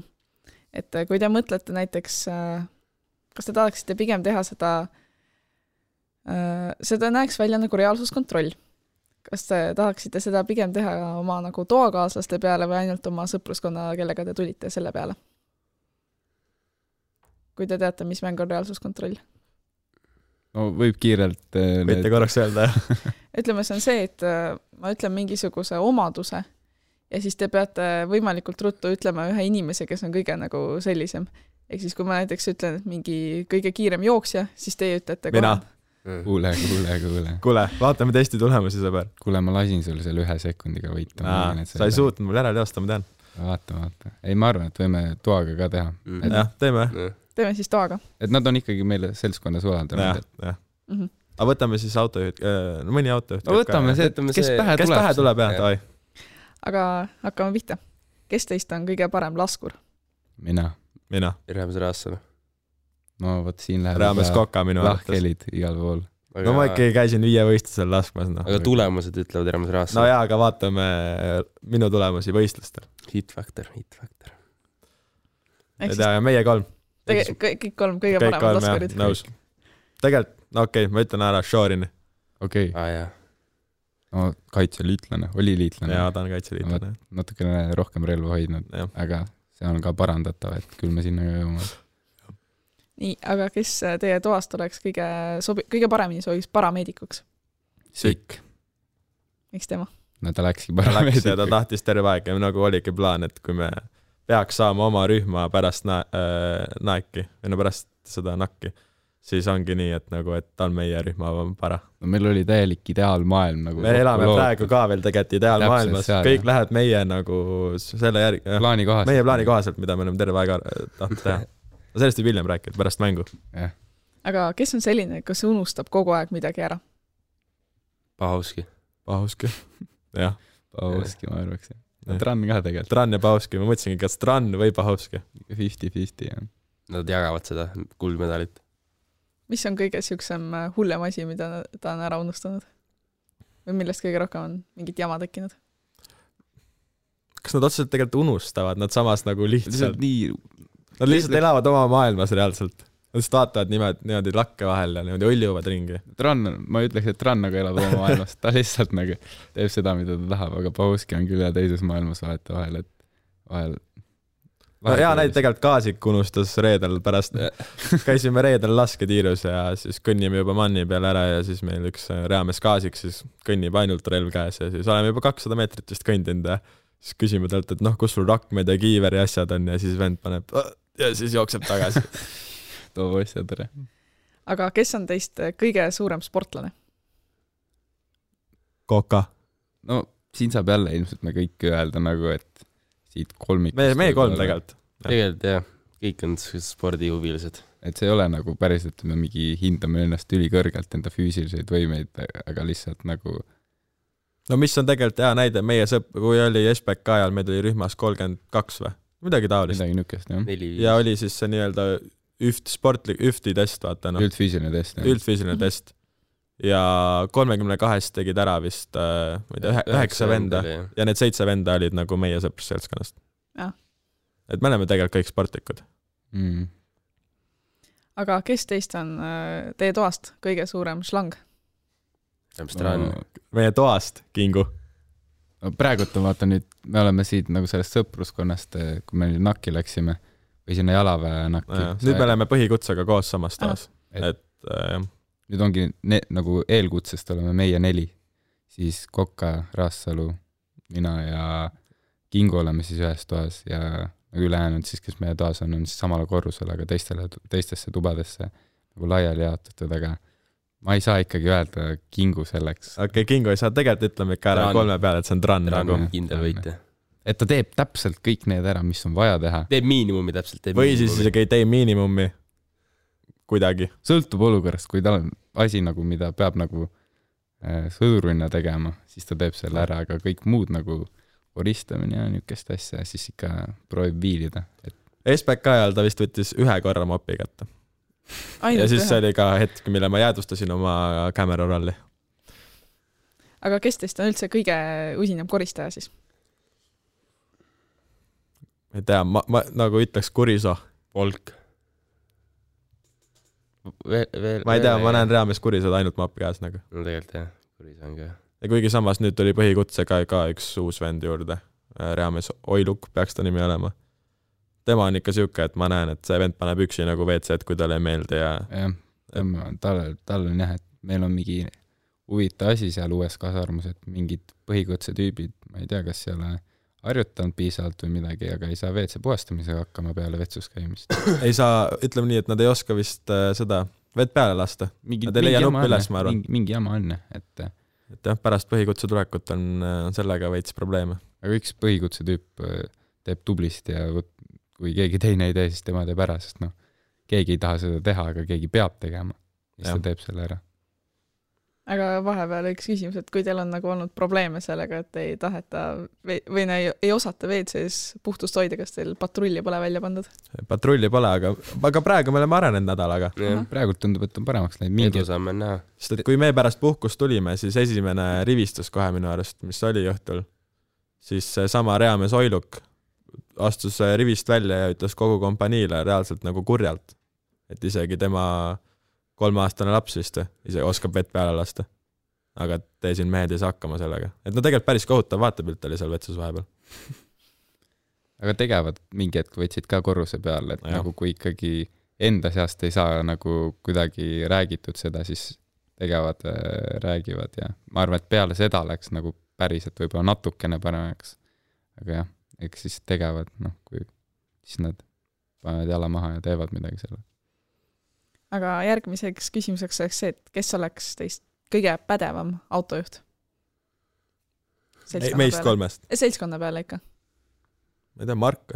et kui te mõtlete näiteks, kas te tahaksite pigem teha seda näeks välja nagu reaalsuskontroll. Kas te tahaksite seda pigem teha oma nagu toakaaslaste peale või ainult oma sõpruskonna, kellega te tulite selle peale? Kui te teate, mis mäng on reaalsuskontroll? No võib kiirelt... Võite korraks öelda, jah? Ütleme, see on see, et ma ütlen mingisuguse omaduse ja siis te peate võimalikult ruttu ütlema ühe inimese, kes on kõige nagu sellisem. Ehk siis, kui ma näiteks ütlen, et mingi kõige kiirem jooksja, siis teie ütlete Mina. Kuule. Kuule, vaatame testi tulemusi, sõber. Kuule, ma lasin sul selle 1 sekundiga võita. Sa ei suutnud mul järele joosta, ma tean. Vaata. Ei, ma arvan, et võime toaga ka teha. Jah, teeme. Teeme siis toaga. Et nad on ikkagi meile seltskonnas ulandanud. Jah. Aga võtame siis autojuht, mõni autojuht. No võtame see, kes pähe tuleb, jah. Aga hakkame pihta. Kes teist on kõige parem laskur? Mina. Raames Raassalu. No võt siin läheb Raames Koka minu lahkelid igal pool. No ma ikkagi käisin 5 võistlusel laskmas. No. Aga tulemused ütlevad Raames Raassalu. No jaa, aga vaatame minu tulemusi võistlustel. Hit factor. Ei tea, meie 3. Kõik 3 kõige paremad laskurid. Nõus. Tegelikult, no okei, ma ütlen ära Shorini. Okei. Jaa. No kaitseliitlane, oli liitlane. Jaa, ta on kaitseliitlane. Natukene rohkem relva hoidnud, aga see on ka parandatav, et küll me sinna jõuame. Nii, aga kes teie toast oleks kõige paremini soovis parameedikuks? Sikk. Miks tema? No ta läkski parameedikuks. Ta tahtis terve aeg ja nagu oligi plaan, et kui me peaks saama oma rühma pärast naeki, või no pärast seda nakki, siis ongi nii, et nagu, et ta on meie rühma para. No meil oli täielik ideaalmaailm. Nagu me elame praegu ka veel tegelikult ideaalmaailmas. Kõik läheb meie nagu selle järgi. Meie plaani kohaselt, mida me oleme terve aega tahtnud teha. Sellest võib hiljem rääkida, pärast mängu. Aga kes on selline, kas unustab kogu aeg midagi ära? Pahovski. Jah. Pahovski, ma arvaks. Tran ka tegelikult. Tran ja Pahovski. Ma mõtlesingi, kas Tran või Pahovski. 50-50, jah. Nad jagavad seda kuldmedalit. Mis on kõige siuksem hullem asi, mida ta on ära unustanud? Või millest kõige rohkem on mingit jama tekkinud? Kas nad otseselt tegelikult unustavad? Nad samas nagu lihtsalt... Nad lihtsalt elavad oma maailmas reaalselt. Nad lihtsalt vaatavad niimoodi lakke vahel ja niimoodi õljuvad ringi. Ma ütleks, et Tran nagu elab oma maailmas. Ta lihtsalt nagu teeb seda, mida ta tahab, aga Pahovski on küll teises maailmas vahet vahel, et vahel... No jaa, näid tegelikult Kaasik unustas reedel pärast. Käisime reedel lasketiirus ja siis kõnnime juba manni peale ära ja siis meil üks Raames Kaasik siis kõnnib ainult relv käes ja siis oleme juba 200 meetrit vist kõndinud ja siis küsime talt, et kus sul rakmed ja kiiveri asjad on ja siis vend paneb ja siis jookseb tagasi. Too asja tere. Aga kes on teist kõige suurem sportlane? Koka. No siin saab jälle ilmselt me kõik öelda nagu, et siit kolmikust. Meie 3 tegelikult. Tegelikult jah, kõik on spordihuvilised. Et see ei ole nagu päris, et me mingi hindame ennast ülikõrgelt enda füüsiliseid võimeid, aga lihtsalt nagu... No mis on tegelikult hea näide, meie kui oli SPK ajal, meil oli rühmas 32 või? Midagi taolist. Midagi nükest, jah. Ja oli siis see nii-öelda üfti test, vaata. Üldfüüsiline test. Üldfüüsiline test. Ja 32 tegid ära vist 9 venda ja need 7 venda olid nagu meie sõprusseltskonnast. Et me oleme tegelikult kõik sportlikud. Aga kes teist on teie toast kõige suurem šlang? Meie toast, Kingu. Praegult on vaata nüüd, me oleme siit nagu sellest sõpruskonnast, kui me nakki läksime või sinna jalaväe nakki. Nüüd me oleme põhikutsega koos samas toas. Et nüüd ongi nagu eelkutsest oleme meie 4, siis Koka, Raassalu, mina ja Kingu oleme siis ühes toas ja nagu ülejäänud siis, kes meie toas on siis samale korrusele, aga teistesse tubadesse nagu laiali jaotatud, aga ma ei saa ikkagi öelda Kingu selleks. Okei, Kingu ei saa, tegelikult ütleme ikka ära 3 peale, et see on Tran. Tran on kindel võitja. et ta teeb täpselt kõik need ära, mis on vaja teha. Teeb miinimumi täpselt. Või siis isegi ei tee miinimumi kuidagi. Sõltub olukorrast, kui tal on asi nagu, mida peab nagu sõdurina tegema, siis ta teeb selle ära, aga kõik muud nagu koristamine ja niisugust asja, siis ikka proovib viilida. SPK ajal ta vist võttis 1 korra mopi kätte. Ja siis see oli ka hetk, mille ma jäädustasin oma camera rolli. Aga kes teist on üldse kõige usinam koristaja siis? Ei tea, ma nagu ütleks Kuriso. Volk. Ma ei tea, ma näen reaalmees Kurisod ainult mopi käes nagu. No tegelikult jah, Kuriso on ka. Ja kuigi samas nüüd tuli põhikutsega ka üks uus vend juurde. Reaalmees Oiluk peaks ta nimi olema. Tema on ikka siuke, et ma näen, et see vend paneb üksi nagu WC-d, kui talle ei meeldi ja... Tal on jah, et meil on mingi huvitav asi seal uues kasarmus, et mingid põhikutse tüübid, ma ei tea, kas seal harjutanud piisavalt või midagi, aga ei saa WC puhastamisega hakkama peale vetsus käimist. Ei saa, ütleme nii, et nad ei oska vist seda vett peale lasta. Nad ei leia nuppi üles, ma arvan. Mingi jama on, et jah, pärast põhikutse tulekut on sellega veits probleeme. Aga üks põhikutse tüüp teeb tublist ja kui keegi teine ei tee, siis tema teeb ära, sest keegi ei taha seda teha, aga keegi peab tegema. Siis ta teeb selle ära. Aga vahepeal üks küsimus, et kui teil on nagu olnud probleeme sellega, et ei taheta või ei osata WC-s puhtust hoida, kas teil patrulli pole välja pandud? Patrulli pole, aga praegu me oleme arenenud nädalaga. Praegu tundub, et on paremaks läinud. Edu saame näha. Sest et kui me pärast puhkust tulime, siis esimene rivistus kohe minu arust, mis oli õhtul, siis sama reaalmees Oiluk astus rivist välja ja ütles kogu kompaniile reaalselt nagu kurjalt. Et isegi tema 3-aastane laps vist ise oskab vett peale lasta. Aga tee siin mehed ei saa hakkama sellega. Et no tegelikult päris kohutav vaatepilt oli seal vetsus vahepeal. Aga tegevad mingi hetk võtsid ka korruse peale, et nagu kui ikkagi enda seast ei saa nagu kuidagi räägitud seda, siis tegevad, räägivad ja ma arvan, et peale seda läks nagu päriselt võib-olla natukene paremaks. Aga jah, eks siis tegevad, kui siis nad panevad jala maha ja teevad midagi selle. Aga järgmiseks küsimuseks oleks see, et kes oleks teist kõige pädevam autojuht? Meist 3. Seltskonna peale ikka. Ma ei tea, Mark.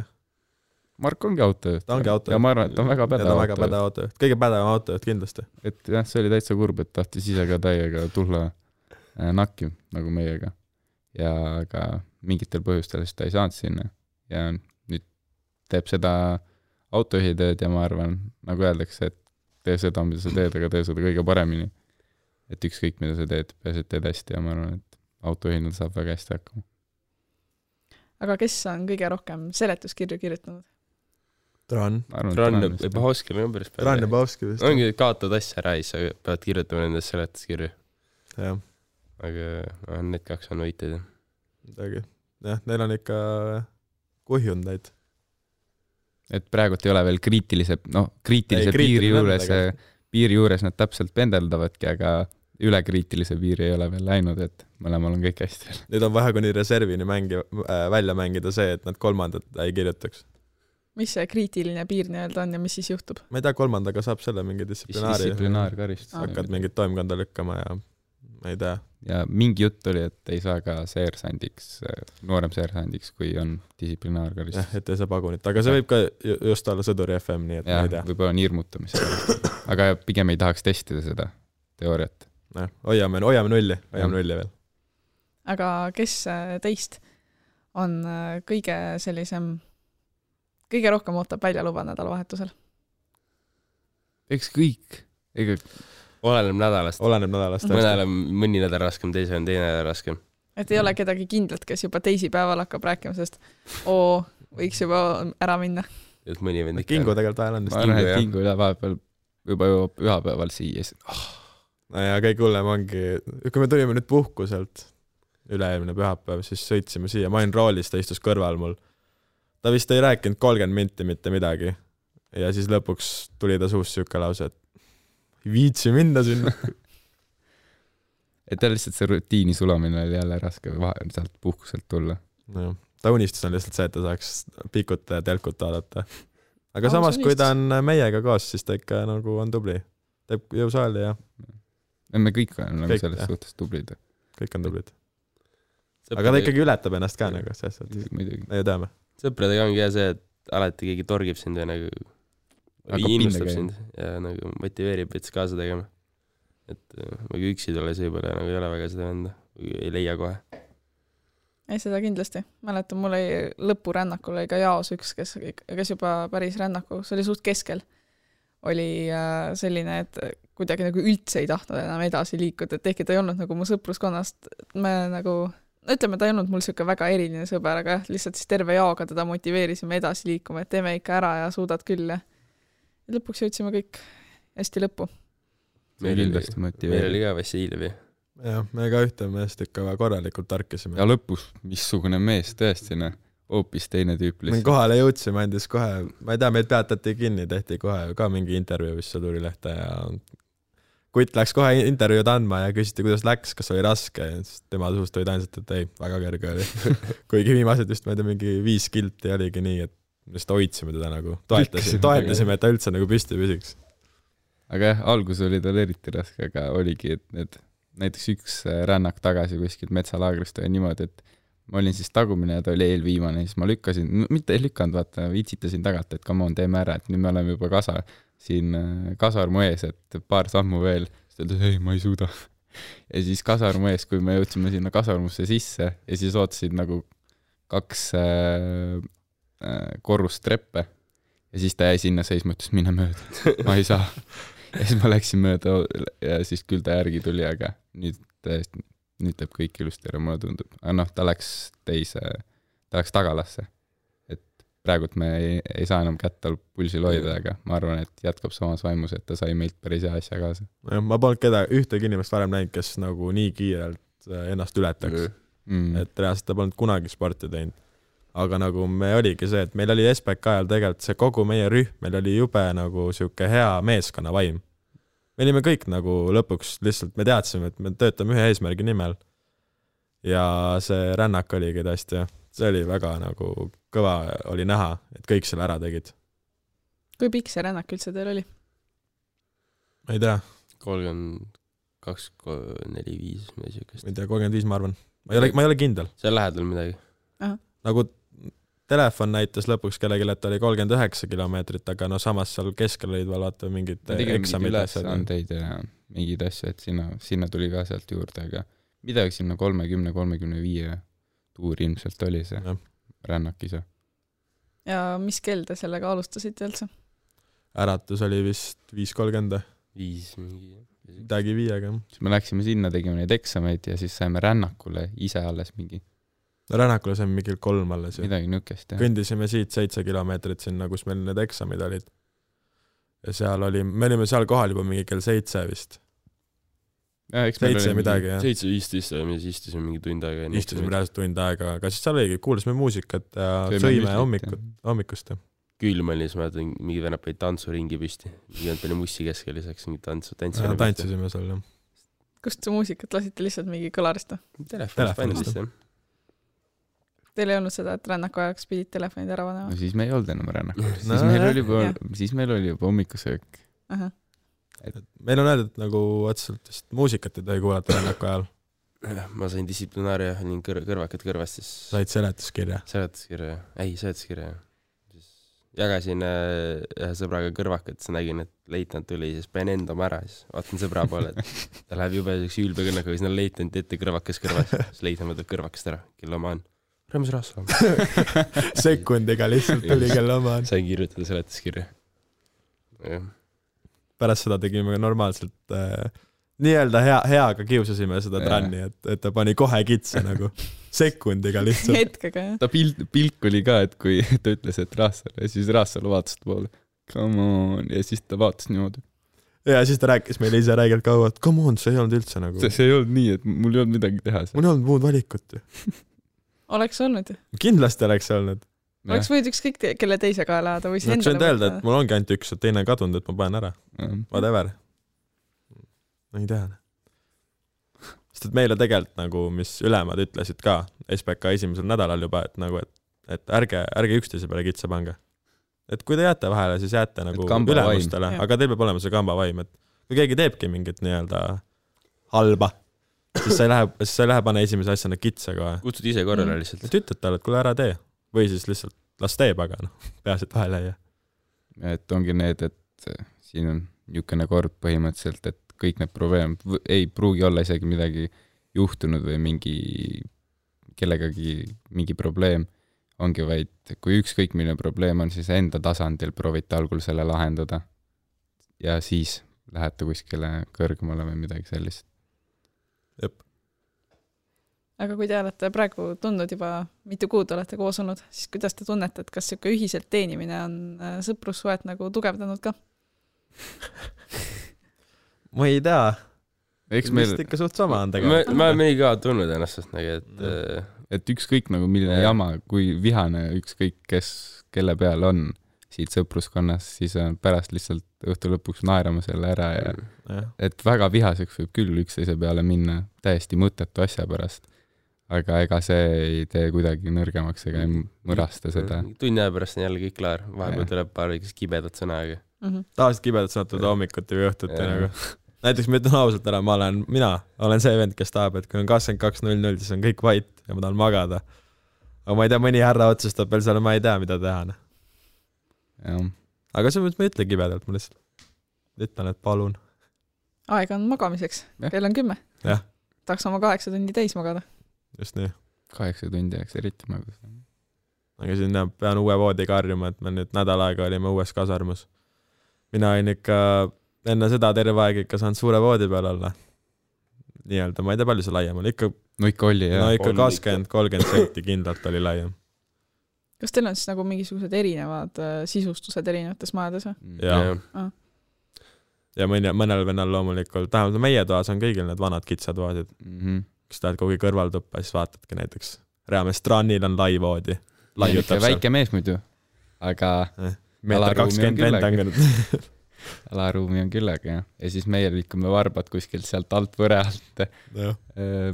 Mark ongi autojuht. Ta ongi autojuht. Ja ma arvan, et ta on väga pädev autojuht. Kõige pädevam autojuht kindlasti. Et jah, see oli täitsa kurb, et tahtis ise ka täiega tulla nakki nagu meiega. Ja aga mingitel põhjustel ta ei saanud sinna. Ja nüüd teeb seda autojuhitööd ja ma arvan, nagu öeldakse, et tee seda, mida sa teed, aga tee seda kõige paremini. Et ükskõik, mida sa teed, peaasi, et teed hästi ja ma arvan, et autojuhindal saab väga hästi hakkama. Aga kes on kõige rohkem seletuskirju kirjutanud? Tran ja Bahovski on päris päris. Tran ja Bahovski vist. Ongi kaotad asja ära, siis sa pead kirjutama nende seletuskirju. Jah. Aga need 2 on võiteid. Jah, neil on ikka kuhjundaid. Et praegult ei ole veel kriitilise piiri juures nad täpselt pendeldavadki, aga üle kriitilise piiri ei ole veel läinud, et mõlemal on kõik hästi. Nüüd on vahe kuni reservini välja mängida see, et nad 3. ei kirjutaks. Mis see kriitiline piir nii-öelda on ja mis siis juhtub? Ma ei tea, 3. saab selle mingi distsiplinaarkaristus. Hakkad mingit toimkonda lükkama ja ma ei tea. Ja mingi jutt oli, et ei saa ka noorem seersandiks, kui on distsiplinaarkaristus. Jah, et ei saa pagunit. Aga see võib ka just olla sõduri FM, nii et ma ei tea. Võib-olla on hirmutamist. Aga pigem ei tahaks testida seda teooriat. Hoiame nulli veel. Aga kes teist on kõige rohkem ootab väljaluba nädalavahetusel? Eks kõik. Oleneb nädalast. Mõni nädal raskem, teine nädal raskem. Et ei ole kedagi kindlat, kes juba teisipäeval hakkab rääkima, sest võiks juba ära minna. Kingu tegelikult ajal on. Ma arvan, et Kingu üle vahepeal juba ühapäeval siia. No ja kõik hullem ongi, kui me tulime nüüd puhkuselt üle-eelmine pühapäev, siis sõitsime siia, ma olin roolis, ta istus kõrval mul. Ta vist ei rääkinud 30 minti mitte midagi. Ja siis lõpuks tuli ta suust siuke lause, et viitsi minna sinna. Et lihtsalt see rutiini sulamine oli jälle raske sealt puhkuselt tulla. No, ta unistus on lihtsalt see, et ta saaks pikut ja telkut vaadata. Aga samas, kui ta on meiega koos, siis ta ikka nagu on tubli. Teeb jõusaali ja... Me kõik on selles suhtes tublid. Kõik on tublid. aga ta ikkagi ületab ennast ka nagu selles suhtes. muidugi. Me ju teame. Sõpradega ongi hea see, et alati keegi torgib sind või nagu innustab sind ja nagu motiveerib veits kaasa tegema. Et nagu üksi tulles võib-olla nagu ei ole väga seda venda, ei leia kohe. Ei, seda kindlasti. Mäletan, mul oli lõpurännakul oli ka jaos üks, kes juba päris rännaku, see oli suht keskel. Oli selline, et kuidagi nagu üldse ei tahtnud enam edasi liikuda, et ehkki ta ei olnud nagu mu sõpruskonnast. Me nagu, ütleme, ta ei olnud mul siuke väga eriline sõber, aga lihtsalt siis terve jaoga teda motiveerisime edasi liikuma, et teeme ikka ära ja suudad küll. Ja lõpuks jõudsime kõik hästi lõppu. Meil oli ka Vassiljevi. Jah, me ka ühte meest ikka korralikult tarkisime. Ja lõpus, missugune mees tõesti, hoopis teine tüüp lihtsalt. Kohale jõudsime, andis kohe, ma ei tea, meid peatati kinni, tehti kohe ka mingi intervjuu, mis sõdurilehte ja Kutt läks kohe intervjuud andma ja küsiti, kuidas läks, kas oli raske ja tema suust olid ainsat, et ei, väga kerge oli. Kuigi viimased vist, ma ei tea, mingi 5 kilti oligi nii, et just hoidsime teda nagu, toetasime, et ta üldse nagu püsti püsiks. Aga jah, algus oli tal eriti raske, aga oligi, et näiteks üks rännak tagasi kuskilt metsalaagrist oli niimoodi, et ma olin siis tagumine ja ta oli eelviimane, siis ma lükkasin, mitte ei lükanud, vaata, viitsitasin tagant, et come on, teeme ära, et nüüd me oleme juba siin kasarmu ees, et paar sammu veel, siis ta ütles, ei, ma ei suuda. Ja siis kasarmu ees, kui me jõudsime sinna kasarmusse sisse ja siis ootasid nagu 2 korrust treppe ja siis ta jäi sinna seisma, ütles, mine mööda, ma ei saa. Ja siis ma läksin mööda ja siis küll ta järgi tuli, aga nüüd teeb kõik ilusti ära, mulle tundub. Aga ta läks tagalasse. Et praegult me ei saa enam kätt tal pulsil hoida, aga ma arvan, et jätkab samas vaimus, et ta sai meilt päris hea asja kaasa. Ma polnud ühtegi inimest varem näinud, kes nagu nii kiirelt ennast ületaks. Et reaalselt ta polnud kunagi sporti teinud. Aga nagu me oligi see, et meil oli SPK ajal tegelikult see kogu meie rühm, meil oli jube nagu siuke hea meeskonna vaim. Me olime kõik nagu lõpuks lihtsalt, me teadsime, et me töötame ühe eesmärgi nimel. Ja see rännak oligi tõesti, see oli väga nagu kõva oli näha, et kõik selle ära tegid. Kui pikk see rännak üldse teil oli? Ma ei tea. 32, 4, 5, midagi siukest. Ma ei tea, 35 ma arvan. Ma ei ole kindel. See on lähedal midagi. Aha. Nagu telefon näitas lõpuks kellegi, et oli 39 kilomeetrit, aga no samas seal keskel olid vaata mingid eksamid. Ülesandeid ja mingid asju, et sinna tuli ka sealt juurde, aga midagi sinna 30-35 tuur ilmselt oli see rännak ise. Ja mis kell te sellega alustasite üldse? Äratus oli vist 5:30. 5 mingi. Midagi 5-ga. Siis me läksime sinna, tegime neid eksameid ja siis saime rännakule ise alles mingi. Rännakule saime mingi 3 alles. Midagi nükest, jah. Kõndisime siit 7 kilomeetrit sinna, kus meil need eksamid olid. Ja seal me olime seal kohal juba mingi kell 7 vist. 7 midagi, jah. 7:15 ja me siis istusime mingi tund aega. Istusime reaalselt tund aega, aga siis seal oligi, kuulasime muusikat ja sõime hommikust. Külm oli, siis ma mõtlen, mingi venab peid tantsuringi püsti. Mingi palju mussi keskel lisaks mingi tantsisime seal, jah. Kust muusikat lasite lihtsalt mingi kõlarist? Telefonist, jah. Teil ei olnud seda, et rännaku ajaks pidid telefonid ära panema? No siis me ei olnud enam rännaku. Siis meil oli juba hommikusöök. Meil on öeldud nagu otseselt muusikat ei tohi kuulata rännaku ajal. Ma sain distsiplinaaria, olin kõrvakad kõrvast, siis... Said seletuskirja? Seletuskirja. Siis jagasin ühe sõbraga kõrvakat, siis nägin, et leitnant tuli, siis panen endama ära, siis vaatan sõbra poole, et ta läheb jube ülbe kõnnaga, siis on leitnant ette kõrvakas kõrvas, siis leitnant võtab kõrvakast ära, kelle oma on. Rõõmus Raassalam. Sekundiga lihtsalt tuli kelle oma on. Sain kirjutada seletuskirja. Pärast seda tegime normaalselt nii-öelda heaga kiusasime seda tranni, et ta pani kohe kitse nagu sekundiga lihtsalt. Hetkega, jah. Ta pilk oli ka, et kui ta ütles, et Raassalu, ja siis Raassalu vaatas poole. Come on, ja siis ta vaatas niimoodi. Ja siis ta rääkis meile ise räigelt kaua, et come on, see ei olnud üldse nagu... See ei olnud nii, et mul ei olnud midagi teha. Mul ei olnud muud valikut. Oleks olnud. Kindlasti oleks olnud. Oleks võid ükskõik kelle teise kaela ajada või siis endale võtta. Öelda, et mul ongi ainult üks, et teine on kadunud, et ma panen ära. Whatever. No ei tea. Sest et meile tegelikult nagu, mis ülemad ütlesid ka SPK esimesel nädalal juba, et nagu, et ärge üksteise peale kitsa pange. Et kui te jääte vahele, siis jääte nagu ülemustele, aga teil peab olema see kamba vaim, et kui keegi teebki mingit nii-öelda halba, siis sa ei lähe pane esimese asjana kitsa kohe . kutsud ise korrale lihtsalt . et ütled talle , et kuule ära tee . või siis lihtsalt las teeb , aga noh , peaasi , et vahele ei jää . et ongi need , et siin on niisugune kord põhimõtteliselt , et kõik need probleemid ei pruugi olla isegi midagi juhtunud või kellegagi mingi probleem ongi vaid , kui ükskõik milline probleem on , siis enda tasandil proovite algul selle lahendada ja siis lähete kuskile kõrgemale või midagi sellist . aga kui te olete praegu tundnud juba mitu kuud olete koos olnud , siis kuidas te tunnete , et kas siuke ühiselt teenimine on sõprussuhet nagu tugevdanud ka ? ma ei tea . eks meil vist , ikka suht sama on tegelikult . me oleme nii ka tundnud ennast suht nagu , et ükskõik nagu milline jama , kui vihane ükskõik kes , kelle peal on siit sõpruskonnas , siis on pärast lihtsalt õhtu lõpuks naerama selle ära ja et väga vihaseks võib küll üksteise peale minna täiesti mõttetu asja pärast . aga ega see ei tee kuidagi nõrgemaks ega ei mõrasta seda . tunni aja pärast on jälle kõik klaar , vahepeal tuleb paar väikest kibedat sõna , aga tavaliselt kibedat sõnatud hommikuti või õhtuti nagu . näiteks ma ütlen ausalt ära , mina olen see vend , kes tahab , et kui on 22.00 , siis on kõik vait ja ma tahan magada . aga ma ei tea , mõni härra otsustab veel seal , ma ei tea , mida teha . aga selles mõttes ma ei ütle kibedalt , ma lihtsalt ütlen , et palun . aega on magamiseks , kell on 10 . jah , tahaks oma 8 tundi täis magada . just nii . 8 tundi jääks eriti magus . aga siin pean uue voodiga harjuma , et me nüüd nädal aega olime uues kasarmus . mina olin ikka enne seda terve aeg ikka saanud suure voodi peal olla . nii-öelda , ma ei tea , palju see laiem oli , ikka , no ikka oli jah . no ikka 20-30 senti kindlalt oli laiem . kas teil on siis nagu mingisugused erinevad sisustused erinevates majades või ? ja , ja mõnel vennal loomulikult , tähendab meie toas on kõigil need vanad kitsad voodid . kus tahad kuhugi kõrvaltuppa , siis vaatadki näiteks Reamees Strannil on lai voodi . väike mees muidu , aga meeter 20 vend on küll . alaruumi on küllaga jah . ja siis meie liikume varbad kuskilt sealt alt võre alt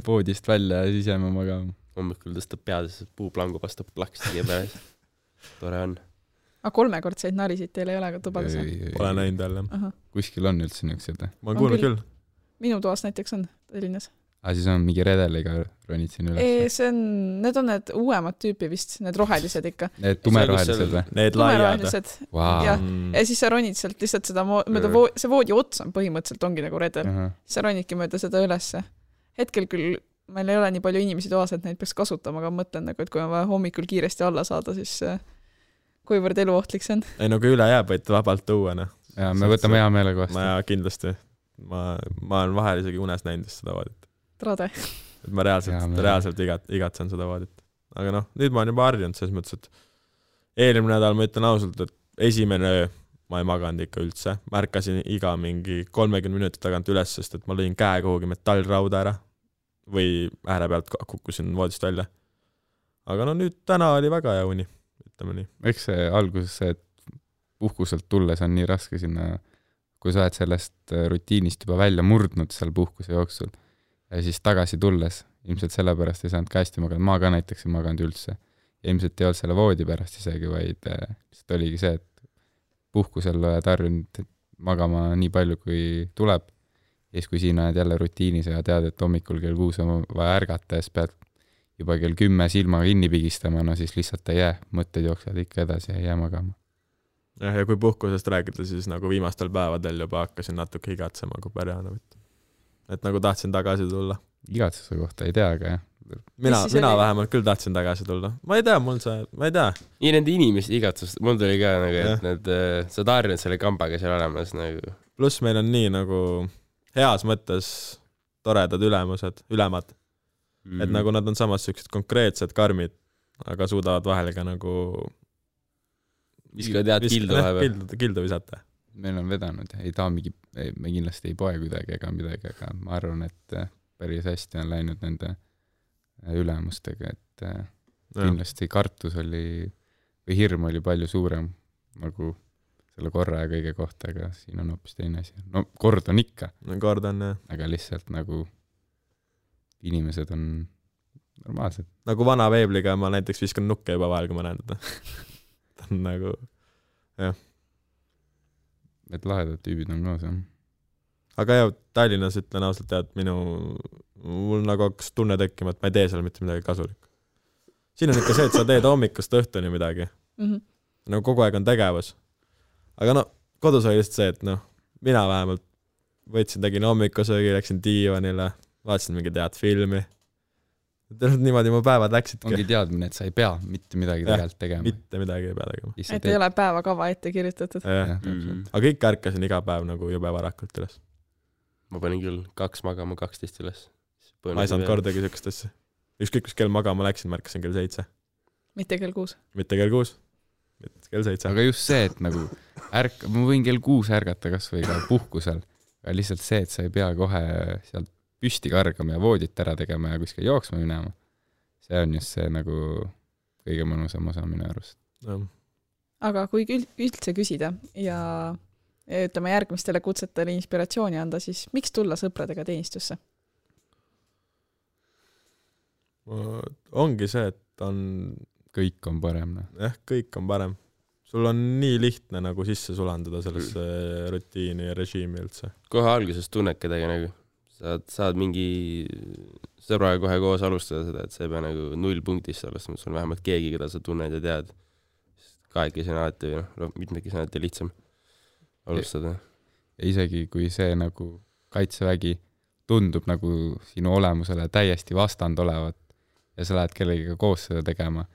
voodist välja ja siis jääme magama . hommikul tõstab pead , siis puuplangu vastab plaks tegi peale . tore on . aga 3-kordseid narisid teil ei ole ka tubades või ? Pole näinud jälle . kuskil on üldse niisugused . ma olen kuulnud küll . minu toas näiteks on Tallinnas . aga siis on mingi redeliga ronid siin üles ? Need on need uuemad tüüpi vist , need rohelised ikka . Need tumerohelised või ? Need laiad . tumerohelised . jah , ja siis sa ronid sealt lihtsalt seda mööda see voodi ots on põhimõtteliselt ongi nagu redel . siis sa ronidki mööda seda ülesse . hetkel küll meil ei ole nii palju inimesi toas , et neid peaks kasutama , aga ma mõtlen nagu , et kui on vaja hommikul kiiresti alla saada , siis kuivõrd eluohtlik see on . ei no kui üle jääb , võite vabalt tuua , noh . ja me võtame hea meelega vastu . ma kindlasti , ma olen vahel isegi unes näinud seda voodit . trade . et ma reaalselt igatsen seda voodit . aga noh , nüüd ma olen juba harjunud selles mõttes , et eelmine nädal ma ütlen ausalt , et esimene öö ma ei maganud ikka üldse . ma ärkasin iga mingi 30 minuti tagant üles , sest et ma lõin käe kuhugi metallrauda ära või ääre pealt kukkusin voodist välja . aga no nüüd täna oli väga hea uni , ütleme nii . eks see alguses see , et puhkuselt tulles on nii raske sinna , kui sa oled sellest rutiinist juba välja murdnud seal puhkuse jooksul ja siis tagasi tulles ilmselt sellepärast ei saanud ka hästi magada , ma ka näiteks ei maganud üldse . ilmselt ei olnud selle voodi pärast isegi , vaid lihtsalt oligi see , et puhkusel oled harjunud magama nii palju , kui tuleb ja siis , kui siin oled jälle rutiinis ja tead , et hommikul kell 6 on vaja ärgata ja siis pead juba kell 10 silma kinni pigistama , no siis lihtsalt ei jää , mõtted jooksevad ikka edasi ja ei jää magama . jah , ja kui puhkusest rääkida , siis nagu viimastel päevadel juba hakkasin natuke igatsema , kui pärjana võtta . et nagu tahtsin tagasi tulla . igatsuse kohta ei tea , aga jah . mina vähemalt küll tahtsin tagasi tulla . ma ei tea , ma ei tea . nii nende inimeste igatsust , mul tuli ka nagu , et need , sa oled harjunud selle kambaga seal olemas nagu . pluss meil on nii nagu heas mõttes toredad ülemad . et nagu nad on samas siuksed konkreetsed karmid , aga suudavad vahel ka nagu viskavad head kildu vahepeal . kildu visata . meil on vedanud , ei ta mingi , me kindlasti ei poe kuidagi ega midagi , aga ma arvan , et päris hästi on läinud nende ülemustega , et kindlasti kartus oli või hirm oli palju suurem nagu selle korra ja kõige kohta , aga siin on hoopis teine asi . no kord on ikka . kord on jah . aga lihtsalt nagu inimesed on normaalsed . nagu vana veebliga ma näiteks viskan nukke juba vahel , kui ma näen teda . ta on nagu , jah . et lahedad tüübid on koos , jah . aga jah , Tallinnas ütlen ausalt , et minu mul nagu hakkas tunne tekkima, et ma ei tee seal mitte midagi kasulikku. Siin on ikka see, et sa teed hommikust õhtuni midagi. Nagu kogu aeg on tegevus. Aga no, kodus oli lihtsalt see, et noh, mina vähemalt tegin hommikusöögi, läksin diivanile, vaatasin mingi head filmi. Niimoodi mu päevad läksidki. Ongi teadmine, et sa ei pea mitte midagi tegelikult tegema. Mitte midagi ei pea tegema. Et ei ole päevakava ette kirjutatud. Aga ikka ärkasin iga päev nagu jube varakult üles. Ma panin küll 2 magama 12 üles. Ma ei saanud kordagi sükest asja. Ükskõik, kus kell magama läksin, märkasin kell 7. Mitte kell 6. Mitte kell 6. Mitte kell 7. Aga just see, et nagu ma võin kell 6 ärgata kas või ka puhkusel. Aga lihtsalt see, et sa ei pea kohe sealt püsti kargama ja voodit ära tegema ja kuskil jooksma minema. See on just see nagu kõige mõnusam osa minu arust. Aga kui üldse küsida ja ütleme järgmistele kutsetele inspiratsiooni anda, siis miks tulla sõpradega teenistusse? Ongi see, et kõik on parem. Kõik on parem. Sul on nii lihtne nagu sisse sulandada sellesse rutiini ja režiimi üldse. Kohe alguses tunned kedagi nagu. Saad mingi sõbraga kohe koos alustada seda, et see ei pea nagu 0 punktist alustama, sul on vähemalt keegi, keda sa tunned ja tead. Kahekesi on alati või mitmekesi on alati lihtsam alustada. Ja isegi kui see nagu kaitsevägi tundub nagu sinu olemusele täiesti vastand olevat ja sa lähed kellegiga koos seda tegema,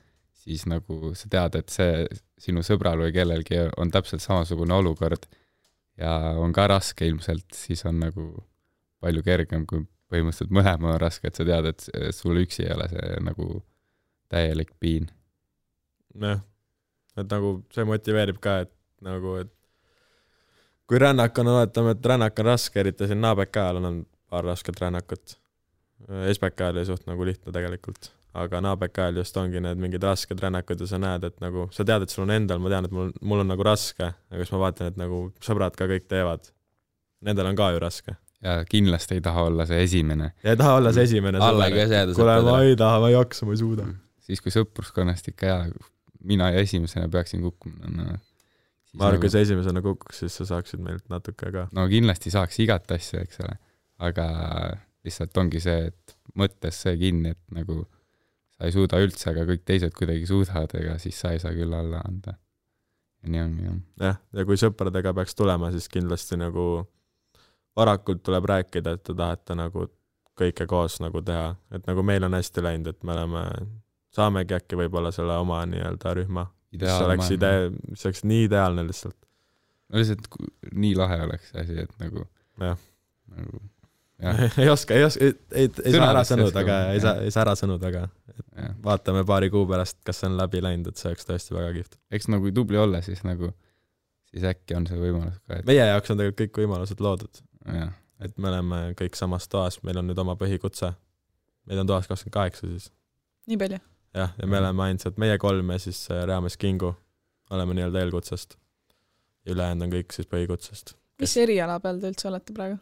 siis nagu sa tead, et see sinu sõbral või kellelgi on täpselt samasugune olukord ja on ka raske ilmselt, siis on nagu palju kergem, kui põhimõtteliselt mõlema on raske, et sa tead, et sul üksi ei ole see nagu täielik piin. Jah, et nagu see motiveerib ka, et nagu, et kui rännak on, oletame, et rännak on raske, eriti siin naabeka ajal on paar rasket rännakut. Esbeka ajal ei suht nagu lihtne tegelikult, aga naabeka ajal just ongi need mingid rasked rännakud ja sa näed, et nagu, sa tead, et sul on endal, ma tean, et mul on nagu raske, aga siis ma vaatan, et nagu sõbrad ka kõik teevad. Nendel on ka ju raske. Ja kindlasti ei taha olla see esimene. Ja ei taha olla see esimene. Alla ka see Kule, ma ei taha, ma ei jaksa, ma ei suuda. Siis kui sõpruskonnast ikka mina ja esimesena peaksin kukkuma. Ma arvan, kui see esimesena kukkuks, siis sa saaksid meilt natuke ka. No kindlasti saaks igat asja, eks ole. Aga lihtsalt ongi see, et mõttes see kinni, et nagu sa ei suuda üldse, aga kõik teised kuidagi suudavad, ega siis sa ei saa küll alla anda. Ja nii ongi. Ja kui sõpradega peaks tulema, siis kindlasti nagu varakult tuleb rääkida, et te tahate nagu kõike koos nagu teha. Et nagu meil on hästi läinud, et me saamegi äkki võib-olla selle oma nii-öelda rühma. Mis oleks nii ideaalne lihtsalt. No lihtsalt nii lahe oleks see asi, et nagu... Jah. Nagu, ei oska, ei saa ära sõnud, aga ei saa ära sõnud, aga vaatame paari kuu pärast, kas see on läbi läinud, et see oleks tõesti väga kihvt. Eks nagu tubli olla, siis äkki on see võimalus ka. Meie jaoks on tegelikult kõik võimalused loodud. Ja. Et me oleme kõik samas toas, meil on nüüd oma põhikutse. Meid on toas 28 siis. Nii palju? Ja me oleme ainsad, meie 3 ja siis Reames Kingu oleme nii-öelda eelkutsest. Ülejäänud on kõik siis põhikutsest. Mis eriala peal te üldse olete praegu?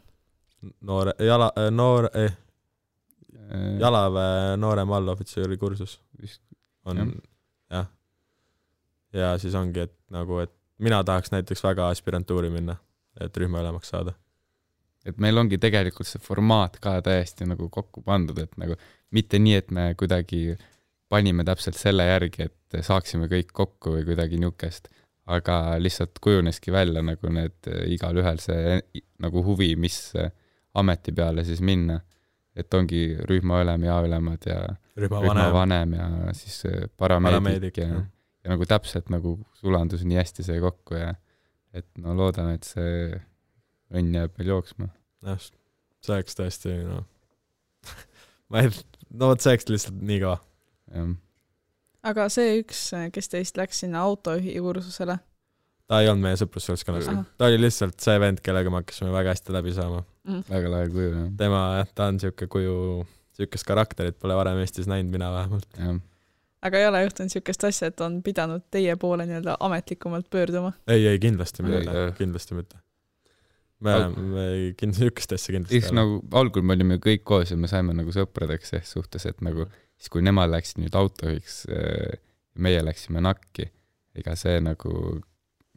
Jalaväe noorem allohvitseri kursus on, jah. Ja siis ongi, et nagu, et mina tahaks näiteks väga aspirantuuri minna, et rühma ülemaks saada. Et meil ongi tegelikult see formaat ka täiesti nagu kokku pandud, et nagu mitte nii, et me kuidagi panime täpselt selle järgi, et saaksime kõik kokku või kuidagi niukest, aga lihtsalt kujuneski välja nagu need igal ühel see nagu huvi, mis ameti peale siis minna. Et ongi rühmaülem ja ülemad ja rühmavanem ja siis parameedik ja nagu täpselt nagu sulandus nii hästi see kokku ja et no loodan, et see õnn jääb meil jooksma. Jah, see oleks tõesti, no see oleks lihtsalt nii ka. Aga see üks, kes teist läks sinna autojuhi kursusele? Ta ei olnud meie sõprusseltskonnas. Ta oli lihtsalt see vend, kellega me hakkasime väga hästi läbi saama. Väga lahe kuju, jah. Ta on siuke kuju, siukest karakterit pole varem Eestis näinud, mina vähemalt. Aga ei ole juhtunud siukest asja, et on pidanud teie poole nii-öelda ametlikumalt pöörduma? Ei, kindlasti mitte. Me siukest asja kindlasti. Siis nagu algul me olime kõik koos ja me saime nagu sõpradeks suhtes, et nagu siis kui nemad läksid nüüd autojuhiks, meie läksime nakki, ega see nagu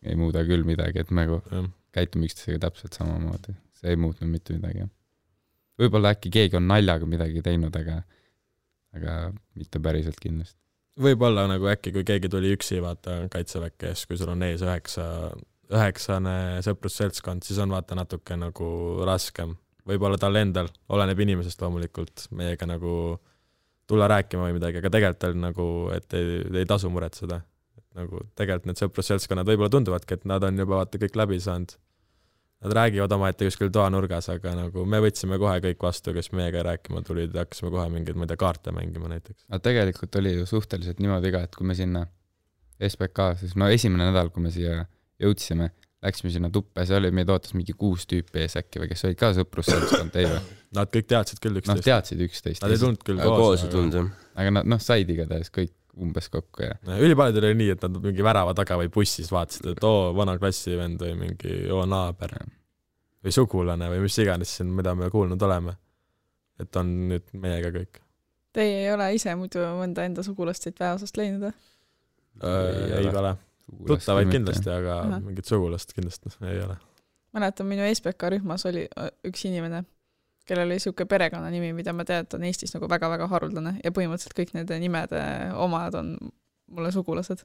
ei muuda küll midagi, et me käitume üksteisega täpselt samamoodi. See ei muutnud mitte midagi. võib-olla äkki keegi on naljaga midagi teinud, aga mitte päriselt kindlasti. Võib-olla nagu äkki, kui keegi tuli üksi vaata kaitseväkke, kui sul on ees 9 sõprusseltskond, siis on vaata natuke nagu raskem. Võib-olla tal endal, oleneb inimesest loomulikult, meiega nagu tulla rääkima või midagi, aga tegelikult on nagu, et ei tasu muretseda. Nagu tegelikult need sõprusseltskonnad võib-olla tunduvadki, et nad on juba vaata kõik läbi saanud. Nad räägivad omaette kuskil toanurgas, aga nagu me võtsime kohe kõik vastu, kes meiega rääkima tulid ja hakkasime kohe mingeid, ma ei tea, kaarte mängima näiteks. Aga tegelikult oli ju suhteliselt niimoodi ka, et kui me sinna SBK, siis esimene nädal, kui me siia jõudsime, läksime sinna tuppe, see oli, meid ootas mingi 6 tüüpi ees äkki või kes olid ka sõprusseltskond, ei või? Nad kõik teadsid küll 11. Teadsid 11. Nad ei tulnud küll koos. Aga nad said igatahes kõik umbes kokku ja ülipaljud oli nii, et nad mingi värava taga või bussis vaatasid, et vana klassivend või mingi naaber või sugulane või mis iganes siin, mida me kuulnud oleme. Et on nüüd meiega kõik. Teie ei ole ise muidu mõnda enda sugulast siit väeosast leidnud? Ei ole. Tuttavaid kindlasti, aga mingit sugulast kindlasti ei ole. Mäletan, minu SBK rühmas oli üks inimene, kellel oli siuke perekonna nimi, mida ma tean, et on Eestis nagu väga-väga haruldane ja põhimõtteliselt kõik nende nimede omad on mulle sugulased.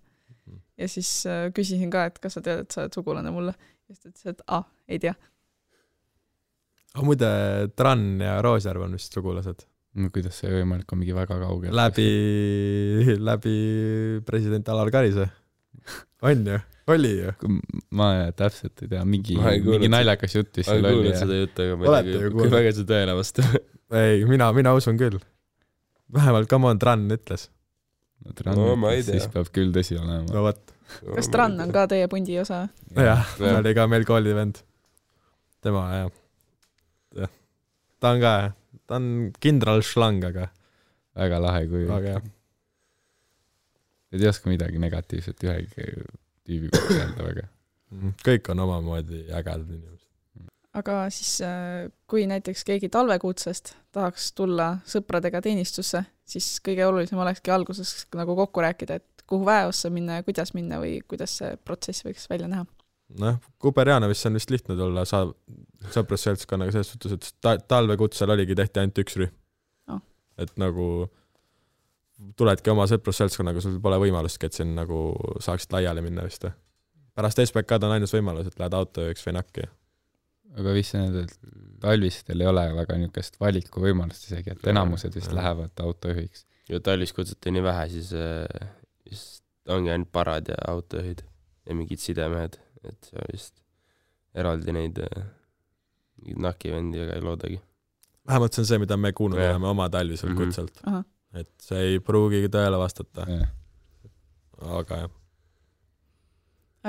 Ja siis küsisin ka, et kas sa tead, et sa oled sugulane mulle. Ja siis ta ütles, et ei tea. Muide, Tran ja Roosjärv on vist sugulased. Kuidas see võimalik on mingi väga kaugel? Läbi president Alar Karise. On ju? Oli ju? Ma täpselt ei tea, mingi naljakas jutt vist seal oli. Ma ei kuulnud seda juttu, aga ma ei tea, kui väga see tõele vastu. Ei, mina usun küll. Vähemalt come on, Tran ütles. Ma ei tea. Siis peab küll tõsi olema. No võt. Kas Tran on ka teie pundi osa? Jah, oli ka meil koolivend. Tema, jah. Ta on ka, ta on kindral šlang, aga väga lahe kui aga ei oska midagi negatiivset ühegi tüübi kohta öelda väga. Kõik on omamoodi ägedad inimesed. Aga siis, kui näiteks keegi talvekuutsest tahaks tulla sõpradega teenistusse, siis kõige olulisem olekski alguses nagu kokku rääkida, et kuhu väeossa minna ja kuidas minna või kuidas see protsess võiks välja näha. Kuperjanovisse on vist lihtne tulla sõprusseltskonnaga selles suhtes, et talvekutsel tehti ainult üks rühm. Et nagu tuledki oma sõprusseltskonnaga, sul pole võimalustki, et siin nagu saaksid laiali minna vist. Pärast SBK-d on ainus võimalus, et lähed autojuhiks või nakki. Aga vist need, et talvistel ei ole väga niisugust valiku võimalust isegi, et enamused vist lähevad autojuhiks. Ja talvis kutsati nii vähe, siis ongi ainult parad ja autojuhid ja mingid sidemehed, et see on vist eraldi neid nakivendi ega ei loodagi. Vähemalt see on see, mida me kuulnud oleme oma talvisel kutselt. Et see ei pruugigi tõele vastata. Aga jah.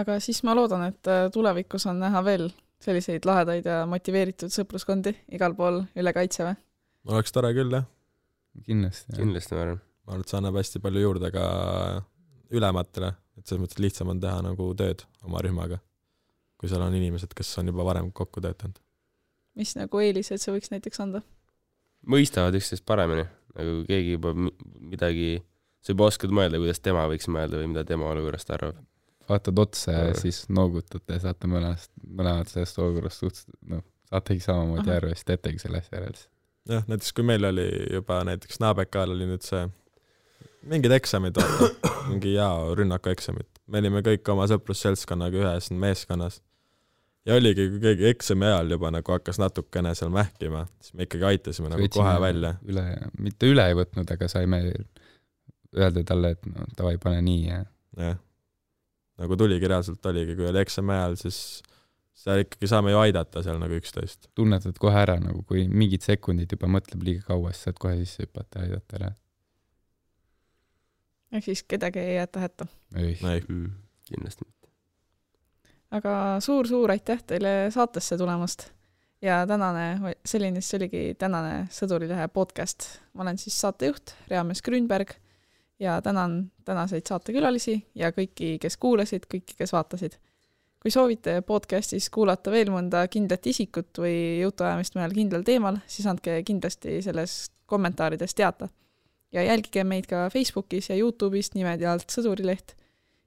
Aga siis ma loodan, et tulevikus on näha veel selliseid lahedaid ja motiveeritud sõpruskondi igal pool üle Kaitseväe. Oleks tore küll, jah. Kindlasti ma arvan. Ma arvan, et see annab hästi palju juurde ka ülematele, et selles mõttes lihtsam on teha nagu tööd oma rühmaga, kui seal on inimesed, kes on juba varem kokku töötanud. Mis nagu eelised see võiks näiteks anda? Mõistavad üksteist paremini. Nagu keegi juba midagi, sa juba oskad mõelda, kuidas tema võiks mõelda või mida tema olukorrast arvab. Vaatad otsa ja siis noogutate, saate mõlemad sellest olukorrast saategi samamoodi aru ja siis teetegi selle asja järeldes. Jah, näiteks kui meil oli juba näiteks Naabekal oli nüüd see mingid eksamid, mingi rünnaku eksamid. Me olime kõik oma sõprusseltskonnaga ühes meeskonnas. Ja oligi, kui keegi eksami ajal juba nagu hakkas natukene seal mähkima, siis me ikkagi aitasime nagu kohe välja. Mitte üle ei võtnud, aga saime öelda talle, et tavai pane nii. Jah. Nagu tuligi reaalselt oligi, kui oli eksami ajal, siis seal ikkagi saame ju aidata seal nagu 11. Tunnetad kohe ära, nagu kui mingid sekundid juba mõtleb liiga kaua, siis saad kohe sisse hüpata ja aidata ära. Ehk siis kedagi ei jäeta hätta. Ei. Kindlasti. Aga suur aitäh teile saatesse tulemast ja see oligi tänane Sõdurilehe podcast. Ma olen siis saatejuht Reamees Grünberg ja tänan tänaseid saatekülalisi ja kõiki, kes kuulasid, kõiki, kes vaatasid. Kui soovite podcastis kuulata veel mõnda kindlat isikut või jutuajamist mõnel kindlal teemal, siis andke kindlasti selles kommentaarides teata. Ja jälgige meid ka Facebookis ja YouTube'ist nimedi alt Sõdurileht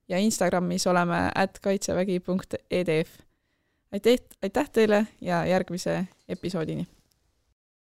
ja Instagramis oleme @kaitsevägi.edf. Aitäh teile ja järgmise episoodini!